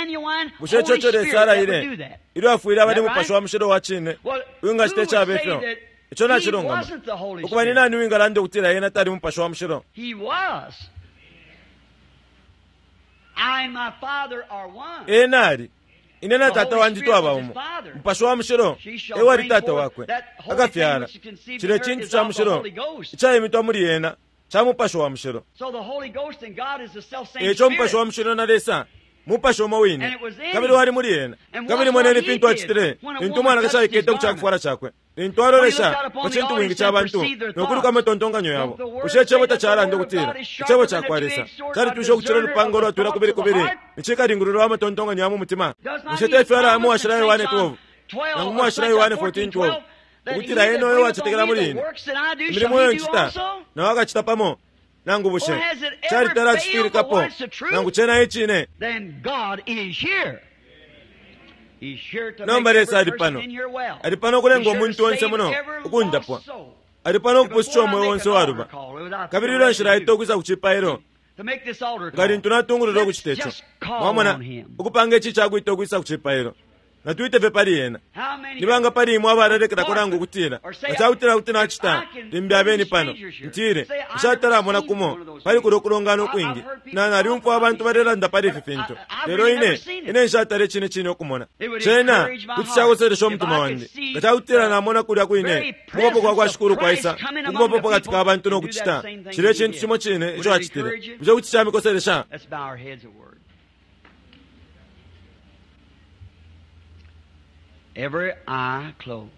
bushe ico eco Lesa alaile ilyo afwile abali Mupashi wa Mushilo wa cine uwingacita icabe fyo? Ico nacilungama. Ukuba, ni nani uwingalanda ukutila ena tali Mupashi wa Mushilo? Ena ali. Ine na Tata wandi twaba umo. Mupashi wa Mushilo e wali Tata wakwe. Akafyala cilya cintu ca mushilo icaimitwa muli ena ca Mupashi wa Mushilo. E ico Mupashi wa Mushilo na Lesa Mupashi umo wine, kabili wali muli ena. Kabili moneni fintu acitile lintu umwanakashi aikete ku ca kufwala cakwe, lintu alolesha pa cintubwingi ca bantu no kuluka amatontonkanyo yabo. Bushe Icebo tacalanda ukutila Icebo ca kwa Lesa calitwisha ukucila ulupanga ulwatwila kubili kubili icikalingulula wa matontonkanyo ya mu mutima? Bushe te fyo alaya mu Washila Yohane 12 nangu mu Washila Yohane 14:12 ukutila ena uyo uwacetekela muli ine, imilimo iyo ncita nao akacita pamo? Nangu bushe calitala acifwilikapo, nangu cena e cine? Nomba Lesa ali pano. Ali pano ukulenga umuntu onse muno ukundapwa. Ali pano ukupususha umweo onse uwaluba. Kabili ilyo nshilaita ukwisa ku cipailo, nga lintu natungulula ukucita ico, mwamona, ukupanga ici icakwita ukwisa ku cipailo, Natwite fye pali ena. Ni banga pali imwe abalalekelako nangu ukutila, Nga cakutila kuti nacita, limbi abeni pano, ntile, nshatala mona kumo pali kulyo kulongana ukwingi. Na, nalyumfwa abantu balelanda pali ifi fintu, lelo ine, ine nshatala icine cine ukumona. Cena kuti cakoselesha umutima wandi nga cakutila namona kulya kwine Ukubapo kwa kwa Shikulu kwaisa ukubapo pakati ka bantu no kucita cilya icintu cimo cine ico Acitile. Bushe kuti camikoselesha? Every eye closed.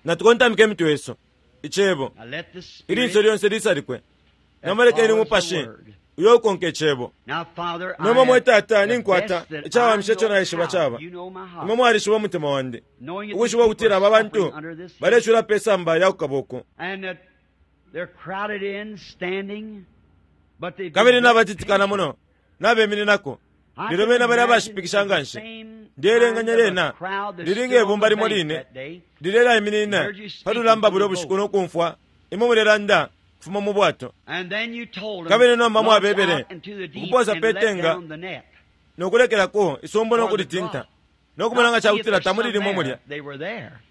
Natukontamike imitwe yesu. Icebo. Now let the Spirit Ilinso lyonse lisalikwe. that Nomba lekeni follows the Umupashi word. uyo ukonka Icebo. Now, Father, I Nomba mwe have Tata, the ninkwata best that icawamisha I ico know naishiba how. caba. You know my heart. Imwe mwalishiba umutima wandi. Knowing that Ukwishiba these ukutila people aba are bantu suffering under this balecula pe samba lya kukaba uku. and that they're crowded in, standing, but they've Kabili been nabatitikana muno, nabemininako. Lelo bena bali abashipikisha nga nshi. Ndeelenganya lyena lili nge bumba limo line lilelaiminina pa lulamba bulya bushiku no kumfwa imwe mulelanda kufuma mu bwato. Kabili nomba mwabebele ukupoosa pe tenga no kulekelako isumbu no kulitinta no kumona nga ca kutila tamuli limo mulya.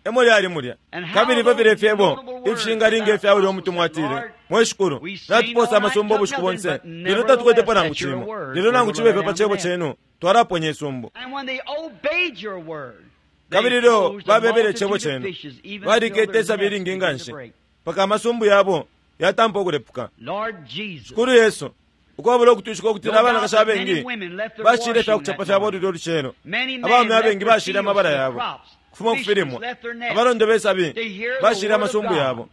E mo lyali mulya. Kabili ifyo filya ifyebo ifishingalinga ifya ulya umutumwa atile, Mwe Shikulu, natupoosa amasumbu ubushiku bonse, lelo tatukwetepo nangu cimo. Lelo nangu cibe ifyo pa cebo cenu twalaponya isumbu. Kabili ilyo babebele icebo cenu, balikete isabi ilingi nga nshi, mpaka amasumbu yabo yatampa ukulepuka. Shikulu Yesu, ukwabula ukutwishika ukutila abanakashi abengi bashile ifya kucapa fyabo lulyo lucelo, abaume abengi bashile amabala yabo kufuma ku filimwa, abalondo be sabi bashile amasumbu yabo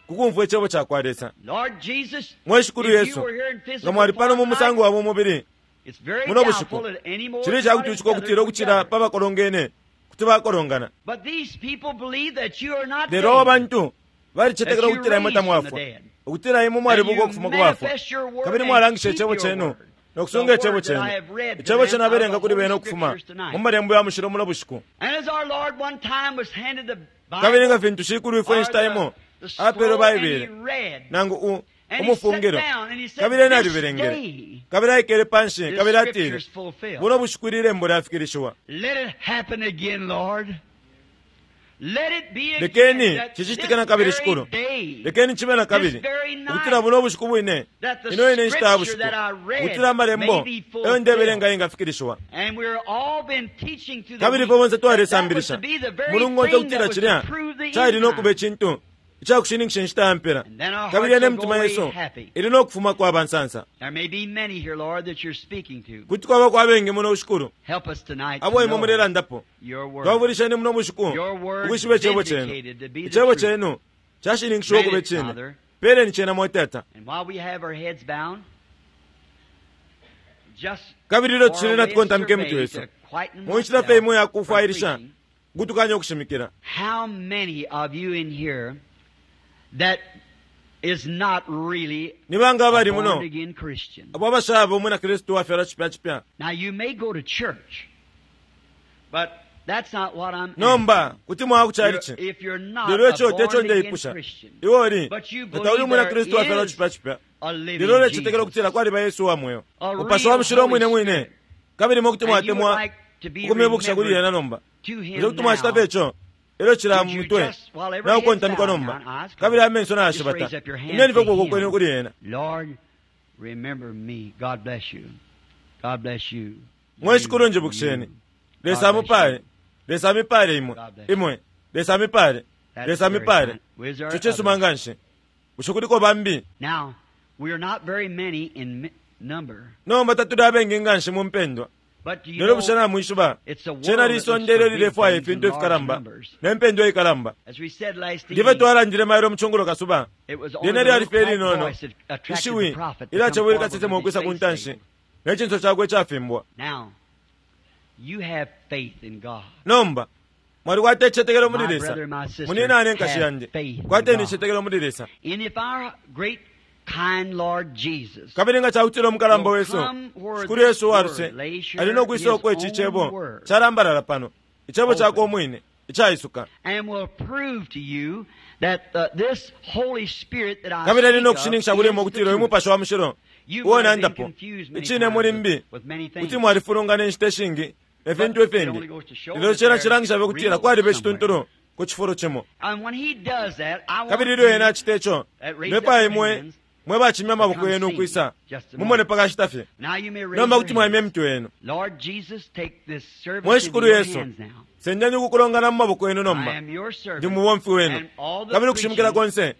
ku kumfwa icebo ca kwa Lesa. Mwe Shikulu Yesu, nga mwali pano mu musango wa bumubili muno bushiku, cili ica kutwishika ukutila ukucila pa bakolongene kuti bakolongana. Lelo aba bantu balicetekela ukutila imwe tamwafwa, ukutila imwe mwalibuka ukufuma ku bafwa, kabili mwalangisha icebo cenu no kusunga icebo cenu, icebo cenu abelenga kuli bena ukufuma mu malembo ya mushilo muno bushiku. Kabili nga fintu Shikulwifwe inshita imo apeelwe Baibele, nangu u, umufungilo, kabili ena alibelengele, kabili aikele panshi, kabili atile, Buno bushiku ili lembo lyafikilishiwa. Lekeni cicitike na kabili, Shikulu. Lekeni cibe na kabili, ukutila buno bushiku bwine, ino ine nshita ya bushiku, ukutila Amalembo eyo ndebelenga yengafikilishiwa. Kabili ifwe bonse twalisambilisha mulungu onse ukutila cilya cali no kuba icintu icakushininkisha inshita ya mpela, kabili yene imitima yesu ili no kufuma kwa bansansa. Kuti kwabako abengi muno, Shikulu, abo imwe mulelandapo. Twafwilisheni muno bushiku ukwishiba Icebo Cenu. Icebo Cenu cashininkishiwa ukuba Icine. Peleni cena, mwe Tata. Kabili ilyo tucili natukontamika imitwe yesu, mu nshila fye imo yakufwailisha ukutukanya ukushimikila. How many of you in here that is not really Ni banga a abali muno born again Christian? abo abashaba umwina Kristu uwafyalwa cipya cipya? Now you may go to church, but that's not what I'm Nomba kuti mwaya ku asking. chalichi, If you're not lelo a ico te co born again ndeipusha. Christian, Iwe uli but you nga tauli believe umwina there Kristu uwafyalwa is cipya cipya, a living lelo ulecitetekela Jesus, ukutila kwaliba Yesu uwa mweo, a Mupashi wa real Mushilo Holy umwine mwine, Spirit, kabili imwe kuti and you would mwatemwa like to be ukumwibukisha kuli remembered ena nomba. to Bushe him kuti mwacita now, fye ico? Elyo cila would you mutwe just, while every head's naukontamikwa bowed nomba, now and eyes kabili closed, amenso just nayashibata, raise up your hand imyeni fye to ukuboko kwenu him. kuli ena. Lord, remember me. God bless you. God bless you. Mwe Shikulu, You, njibukisheni. you. Lesa God bless amupale. you. Lesa amipale imwe. God bless you. Imwe. Lesa amipale. That's Lesa very amipale. kind. Is there Ico cisuma others? nga nshi. Bushe kuliko bambi? Now, we are not very many in number, Nomba tatuli abengi nga nshi mu mpendwa. but do you Lelo bushe know, namwishiba? it's the world Cena that looks lisonde for ilyo big lilefwaya things in ifintu large ifikalamba numbers. ne mpendwa ikalamba. As we said last Nge fyo evening, twalandile mailo mu cungulo kasuba, it was only lyena the lyali little fye quiet linono. voice that attracted the Ishiwi prophet to come ilyacebwele forward with kasesema his ukwisa ku face ntanshi veiled. ne cinso cakwe icafimbwa. Now, you have faith in God. Nomba mwalikwata icicetekelo muli My Lesa. brother and my sister, Muninane nkashi have yandi, faith in kwateni God. icicetekelo muli Lesa. And if our great kind Lord Jesus Kabili nga cakutila umukalamba will wesu come where Shikulu this Yesu word uwaluse lays here ali no kwisa his uko ici own cebo word calambalala pano, icebo cakwe open umwine icaisuka, and will prove to you that this Holy Spirit that I kabili ali speak no of kushininkisha kuli imwe is the ukutila uyu truth. Mupashi wa Mushilo You uo might have been nandapo confused many icine times muli mbi with many kuti things. mwalifulungana inshita ishingi ne But fintu it only ifingi, goes to show lelo that cena there's cilangisha fye ukutila real kwaliba somewhere. icituntulu ku cifulo cimo. And when he does that, I want Kabili ilyo ena you acita ico, that raised up ndefwaya your imwe hands mwe bacimya to amaboko come yenu see me ukwisa just a mumone moment. pa kashita fye. Now you may raise Nomba your kuti mwaimya hands. imitwe yenu. Lord Jesus, take this service Mwe into Shikulu your Yesu, hands now. sendeni ukukulongana mu maboko yenu I nomba. am your Ndi servant, mubomfi wenu, and all the kabili ukushimikila preaching, konse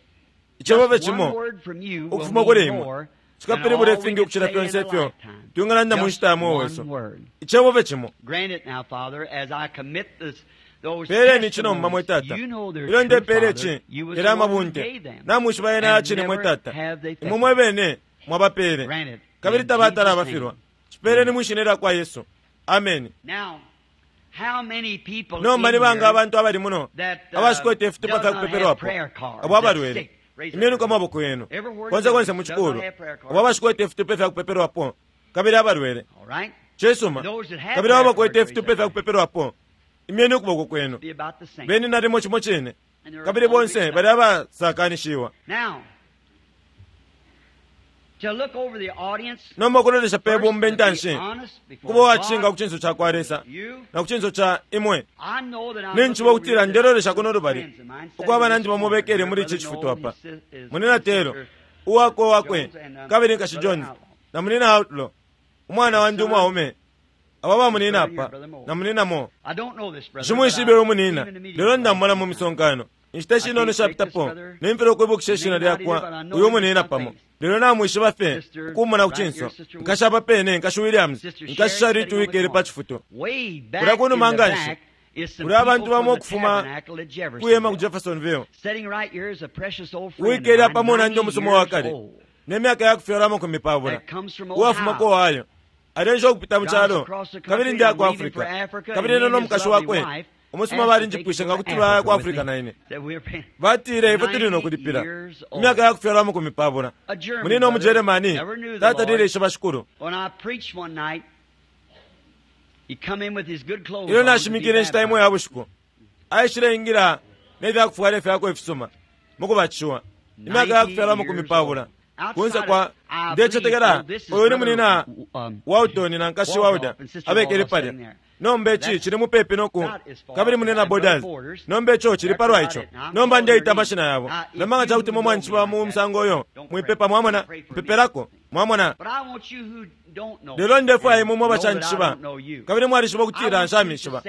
icebo fye just one cimo word from you will ukufuma kuli mean imwe more than cikapilibula all we ifingi could ukucila say in fyonse a ifyo lifetime. twingalanda mu Just nshita ya mweo one wesu. word. Icebo fye cimo. Grant it now, Father, as I commit this, those Peleni ici nomba mwe testimonies. Tata. You know their Ilyo true, ndepeela Father. ici, You was the yali one who amabunte. gave them, Namwishiba yena and yacine mwe never Tata. have they Imwe failed. mwe bene mwabapeele, Grant it kabili in tabatala Jesus' abafilwa. name. Cipeeleni Amen. mwi shina lya kwa Yesu. Ameni. Now, how many people Nomba in ni banga here abantu abali muno that abashikwete ifitupa does fya not have kupepelwapo prayer cards, abo that's abalwele? sick? Raise up Imyeni your ku hand. maboko yenu Everywhere in konse the konse building mu does not cikulu, have prayer abo cards. abashikwete ifitupa fya kupepelwapo kabili abalwele. All right? Cisuma. Kabili abo bakwete ifitupa ifya kupepelwapo, imyeni ukuboko kwenu. Beni nalimo cimo cine. Kabili bonse bali abasakanishiwa. Nomba ukulolesha pe bumba intanshi, kuba uwacishinka ku cinso ca kwa Lesa na ku cinso ca imwe. Ninjishiba ukutila ndelolesha kuno lubali uko abanandi bamo bekele muli ici cifutu apa. Munina Taylor, uwakwe wakwe, kabili Nkashi Jones, na Munina Outlaw, umwana wandi umwaume, aba bamunina apa, na Munina Moore. Nshimwishibe uyu munina, lelo ndamumona mu misonkano. Inshita ishinono ishapitapo, nimfilwa ukwibukisha ishina lyakwa uyu munina pamo, lelo namwishiba fye ukumona ku cinso. Nkashi apa pene, Nkashi Williams, Nkashi Sharrit uwikele pa cifutu. Kulya kunuma nganshi, kuli abantu bamo ukufuma kuyema ku Jeffersonville. Uwikele apa munandi umusuma wa kale, ne myaka ya kufyalwa 20, uwafuma ku Ohio. Alensha ukupita mu calo, kabili ndi ku Africa. Kabili ena no mukashi wakwe umusuma balinjipwishe nga kuti baya ku Africa na ine. Batile ifwe tuli no kulipila. Imyaka ya kufyalwa 20. Munina umuJeremani tatalile ishiba shikulu. Ilyo nashimikile inshita imo ya bushiku, aishileingila ne fya kufwala ifyakwe ifisuma mu kubatishiwa. Imyaka ya kufyalwa 20. Kunse kwa ndecetekela uyu ni munina Walton na nkashi Walder abekele palya. Nomba ici cili mupepi noku kabili munina Borders. Nomba ico cili palwa ico. Nomba ndeita amashina yabo. Nomba nga cakuti mwe mwanjishiba mu musango uyo, mwipepa mwamona, mpepelako mwamona. Lelo ndefwaya imwe mwe bacanjishiba, kabili mwalishiba ukutila nshamishiba.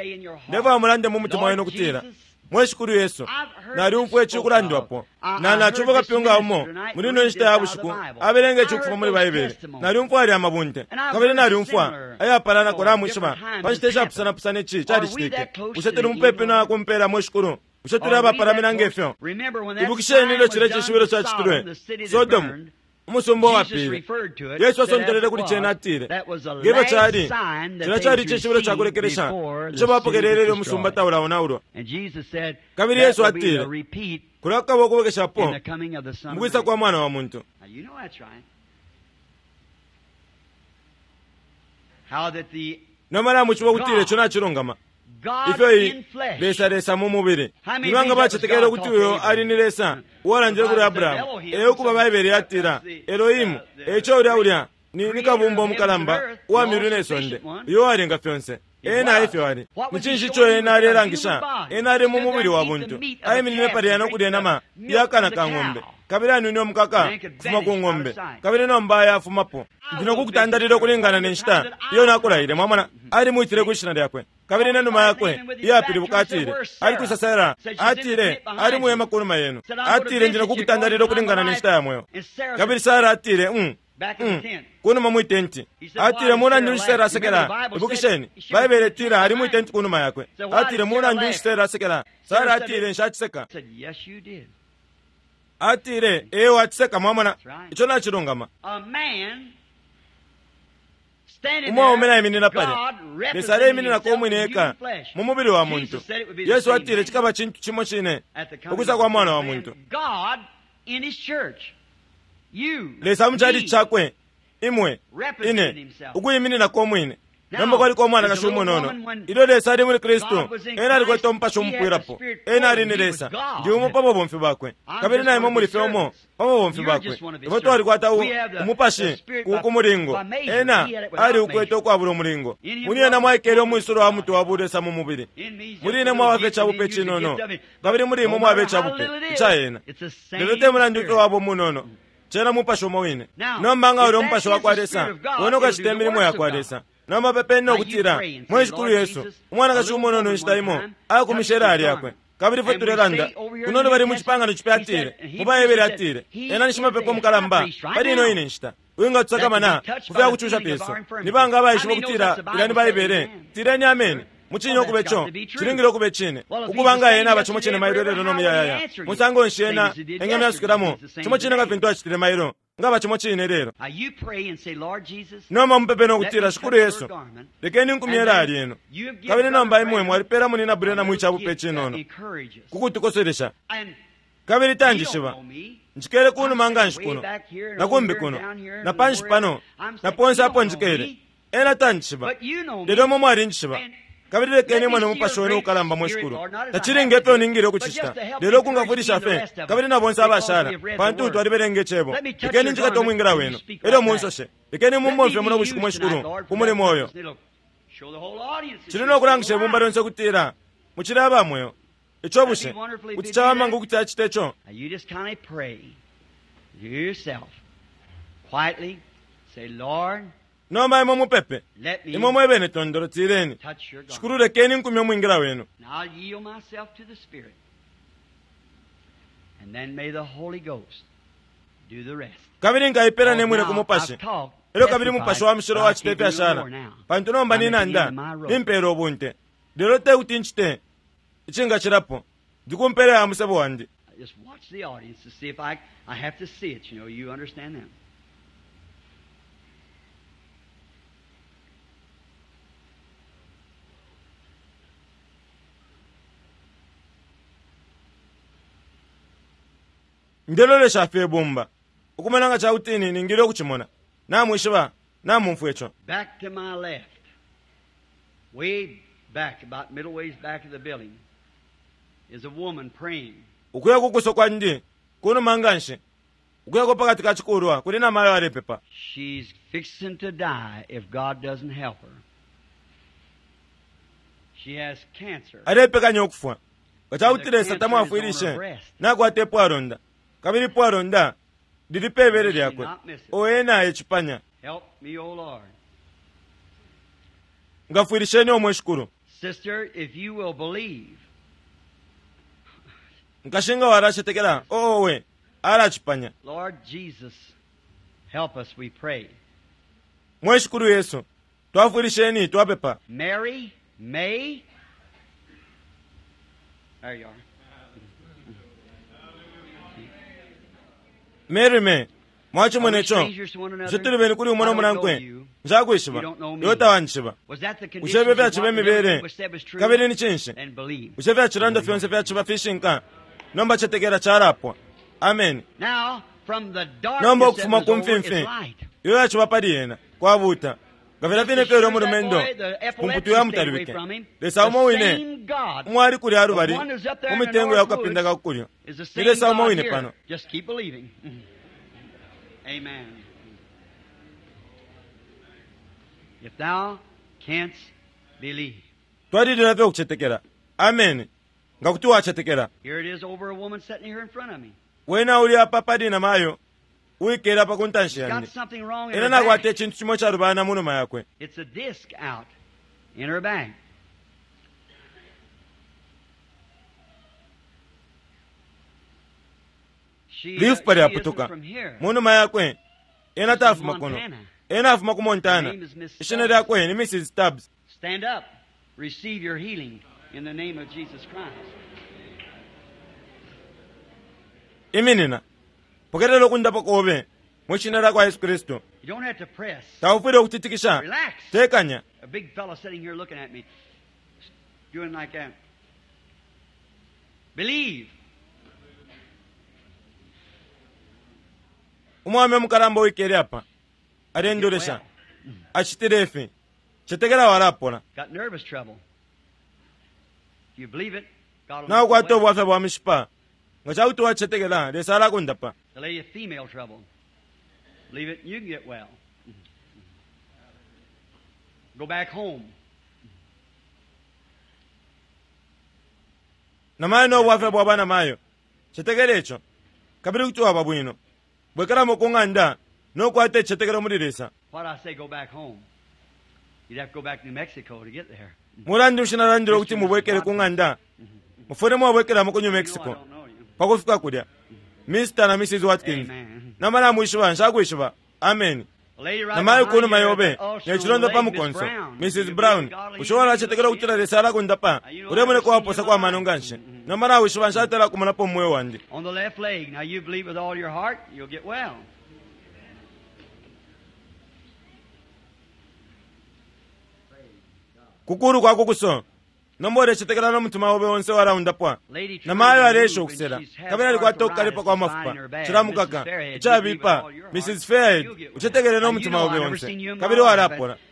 Ndefwaya mulande mu mutima wenu ukutila, Mwe Shikulu Yesu, nalyumfwa ici ukulandwapo. Na nacumfwa kapyunga umo muli ino nshita ya bushiku abelenga ici ukufuma muli Baibele. Nalyumfwa alya amabunte, kabili nalyumfwa ayapalanako. Namwishiba, pa nshita ishapusanapusana ici calicitike. Bushe tuli mupepi na kumpela, mwe Shikulu? Bushe tuli abapalamina nge fyo? Ibukisheni ilyo cilya cishibilo cacitilwe Sodomu, umusumba uwapile. Yesu asontelele kuli cena atile, ngefyo cali, cilya cali icishibilo ca kulekelesha ico bapokelele ilyo umusumba taulaonaulwa. Kabili Yesu atile, kulya kukaba ukubwekeshapo mu kwisa kwa Mwana wa muntu. Nomba namwishiba ukutila ico nacilungama. Ifyo i Lesa Lesa mu mubili. Ni banga bacetekele ukuti uyo ali ni Lesa uwalandile kuli Abrahamu? E ukuba Baibele yatila Elohimu. Eico ulya ulya ni, ni kabumba umukalamba uwa myulu ne sonde, uyo uwalenga fyonse. Ena efyo ali. Ni cinshi ico ena alelangisha? Ena ali mu mubili wa buntu. Aiminine palya no kulya inama iya kana ka ng'ombe, kabili anwine umukaka kufuma ku ng'ombe, kabili nomba ayafumapo. Ndi no kukutandalila ukulingana ne nshita iyo nakulaile. Mwamona, alimwitile kwi shina lyakwe. Kabili ne numa yakwe iyapilibuka atile, Ali kwisa Sara? Atile, Ali muhema kunuma yenu. Atile, Ndi no kukutandalila ukulingana ne nshita ya mweo. Kabili Sara atile, mm, mm, kunuma mwi tenti. Atile, Mulandu nshi Sara asekela? Ibukisheni, Baibele itila ali mwi tenti kunuma yakwe. Atile, Mulandu nshi Sara asekela? Sara atile, Nshaciseka. Atile, Ee, waciseka. Mwamona, ico nacilungama. Umwaume naiminina palya, Lesa aleimininako umwine eka mu mubili wa muntu. Yesu atile cikaba cintu cimo cine ukwisa kwa Mwana wa muntu. Lesa mu chalichi cakwe, imwe, ine, ukuimininako umwine. Nomba kwaliko umwanakashi umunono. Ilyo Lesa ali muli Kristu, ena alikwete umupashi umupwilapo. Ena ali ni Lesa. Ndi umo pa babomfi bakwe. Kabili na imwe muli fye umo pa babomfi bakwe. Ifwe twalikwata u, umupashi ku, ku mulingo. Ena aliukwete ukwabula umulingo. Muli ena mwaikele umwisulo wa mutwe wa bulesa mu mubili. Muli ine mwaba fye icabupe icinono, kabili muli imwe mwaba icabupe ica ena. Lelo te mulandu ifyo waba umunono, cena mupashi umo wine. Nomba nga ulya umupashi wa kwa Lesa, wene ukacita imilimo ya kwa Lesa. Nomba pepeni no kutila, Mwe Shikulu Yesu, umwanakashi umunono inshita imo akumishe ilaya lyakwe. Kabili ifwe tulelanda kuno lubali mu Cipangano Cipya atile, mu Baebele atile, Ena ni shimapepo mukalamba pali ino ine nshita, uwingatusakamana ku fya kucusha fyesu. Ni banga abaishiba ukutila ilya ni Baibele? Tileni ameni. Mucine ukube co, cilingile ukube cine. Ukuba nga ena aba cimo cine mailo ilelo no muyayaya, musango nshi ena engamyasukilamo cimo cine nga fintu acitile mailo? Ngaba cimo cine lelo. Nomba mupepe no kutila, Shikulu Yesu, lekeni nkumye ilaya lyenu. Kabili nomba imwe mwalipela Munina Branham icabupe cinono ku kutukoselesha. Kabili tanjishiba. Njikele kunuma nganshi kuno, na kumbi kuno, na panshi pano, na ponse apo njikele. Ena tanjishiba. Lelo imwe mwalinjishiba. Kabili lekeni imone Mupashi wenu ukalamba, mwe Shikulu. Tacili nge fyo ningile ukucicita, lelo ukungafwilisha fye, kabili na bonse abashala, pantu twalibelenga Icebo. Lekeni njikate umwingila wenu, elyo munsoshe. Lekeni mumbomfye muno bushiku, mwe Shikulu, ku mulimo uyo. Cili no kulangisha ibumba lyonse ukutila mucili aba mweo. Ico bushe kuti cawama nga ukuti acite co? Nomba imwe mupepe, imwe mwebene tondolo, tileni, Shikulu, lekeni nkumye umwingila wenu. Kabili nkaipela ne mwine ku Mupashi, elyo kabili Mupashi wa Mushilo wacita ifyashala, pantu nomba ninanda, nimpela ubunte, lelo te kuti ncite icingacilapo, ndi ku mpela ya musebo wandi. Ndelolesha fye ibumba, ukumona nga cakuti ningile ukucimona. Namwishiba, namumfwa ico. Back to my left, way back, about middle ways back of the building, is a woman praying. Ukuya ku kuso kwandi, kunuma nganshi, ukuyako pakati ka cikulwa, kuli namayo alepepa. She's fixing to die if God doesn't help her. She has cancer. Alepekanya ukufwa nga cakuti Lesa tamwafwilishe. Nakwata ipwalonda, kabili ipwalonda lili pe bele lyakwe. O ena ecipanya. Help me, O Lord. Ngafwilisheni, o mwe Shikulu. Sister, if you will believe. Nkashi, nga walacetekela, o owe, alacipanya. Lord Jesus, help us, we pray. Mwe Shikulu Yesu, twafwilisheni, twapepa. Mary May. There you are. Mary May, mwacimona ico. Bushe tuli beni kuli umo no munankwe? Nshakwishiba, iwe tawanjishiba. Bushe ifyo fyaciba imibele? Kabili ni cinshi? Bushe fyacilanda fyonse fyaciba fishinka? Nomba cetekela calapwa. Ameni. Nomba ukufuma ku mfimfi iyo yaciba pali yena kwabuta, nga filya fine fyo ulya mulumendo ku mputu yamutalwike. Lesa umo wine umwali kulya lubali mu mitengo ya kukapinda ka kukulyo ni Lesa umo wine pano. Amen. If thou canst believe. Twalilila fye ukucetekela. Ameni. Nga kuti wacetekela. Here it is over a woman sitting here in front of me. Wena uli apa pali na mayo uwikele apa ku ntanshi Got yandi. something wrong in Ena her nakwata back. icintu cimo icalubana mu numa yakwe. It's a disc out in her back. She, Lifupa she isn't lyaputuka from here. mu numa yakwe. Ena She's tafuma from kuno. Montana. Ena afuma ku Her Montana. name is Miss Ishina Stubbs. lyakwe ni Mrs. Stubbs. Stand up. Receive your healing in the name of Jesus Christ. Iminina, pokelela ukundapwa kobe mwi shina lya kwa Yesu Kristu. You don't have to press. Taufwile ukutitikisha. Relax. Tekanya. A big fellow sitting here looking at me, doing like that. Believe. Umwame mukalamba uwikele apa alendolesha, Well, acitile ifi. Cetekela walapola. got nervous trouble. If you believe it, God will make you Naukwata well. ubwafya bwa mishipa. Nga cakuti wacetekela, Lesa alakundapa. The lady of female trouble. Believe it, you can get well. Go back home. Namayo no bwafya bwa banamayo, cetekela ico, kabili kuti waba bwino. Bwekelamo ku ng'anda nokukwata icicetekelo muli Lesa. Why'd I say go back home? You'd have to go back to New Mexico to get there. Mulandu nshi nalandile ukuti mubwekele ku ng'anda? Mufwile mwabwekelamo ku New You know I Mexico don't know you. pa kufika kulya. Mr. na Mrs. Watkins, Amen. nama namwishiba, nshakwishiba. Ameni. The lady right Namayo behind ku numa you yobe at the ulcer ne on the cilonda pa leg, Miss mukonso, Brown. Mrs. You Brown, believe God will bushe heal you? walacetekela ukutila Lesa alakundapa? Ulemoneka uwaposa kwa mano nganshi. Nomba nawishiba, nshatala kumonapo mu mweo wandi. On the left leg. Now you believe with all your heart, you'll get well. Kukulu kwa kukuso, nomba ulecetekela no mutima obe onse walaundapwa. Lady trying Namayo to aleesha move and ukusela, she's has kabili alikwata ukukalipa arthritis kwa and mafupa spine her bad. cilamukaka Mrs. Fairhead, you believe with icabipa. all your heart, Mrs. Fairhead, you'll get well. ucetekele no Now, you mutima know obe I've never onse seen you in my kabili life, walapona.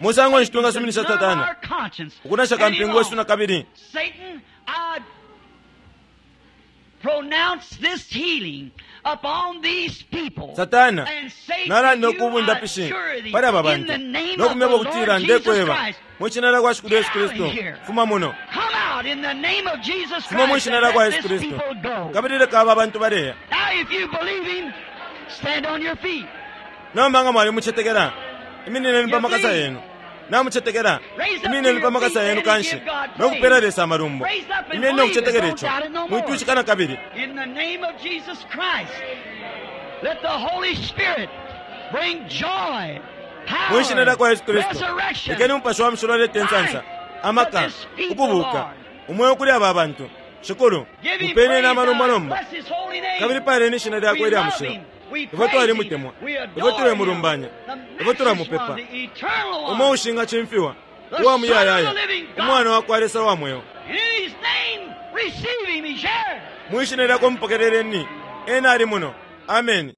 Musango nshi twingasuminisha Satana ukunasha kampingu wesu na kabili? Satana, nalanda ukubundapishi pali aba bantu no kumyeba ukutila ndekweba mu shina lya kwa Shikulu Yesu Kristu, fuma muno. God, in the name of Jesus Fuma Christ, mwishina and lya kwa let Yesu this Kristu people go. kabili leka aba bantu baleya. Now, if you believe him, stand on your feet. Nomba nga mwalimucetekela, iminineni pa makasa yenu. Namucetekela, iminineni pa makasa yenu kanshi no kupela Lesa amalumbo. Imyeni no kucetekela ico, mwitwishika na kabili. In the name of Jesus Christ, let the Holy Spirit bring joy, Mwishina lya kwa power, Yesu Kristu, resurrection, lekeni Umupashi wa Mushilo alete insansa, amaka, ukubuka, umweo kuli aba bantu. Shikulu, Give him mupeleni praise amalumbo now. nomba. Bless his holy name. Kabili paleni ishina lyakwe We ilya love mushilo. him. We Ifwe praise him. twalimutemwa, We ifwe adore him. tulemulumbanya, The ifwe matchless tulamupepa. one, the eternal Umo one. ushingacimfiwa, uwa muyayaya, umwana wa kwa Lesa wa mweo. And in his name, receive him. He's here. Mwishina lyakwe mupokeleleni, ena ali muno. Ameni.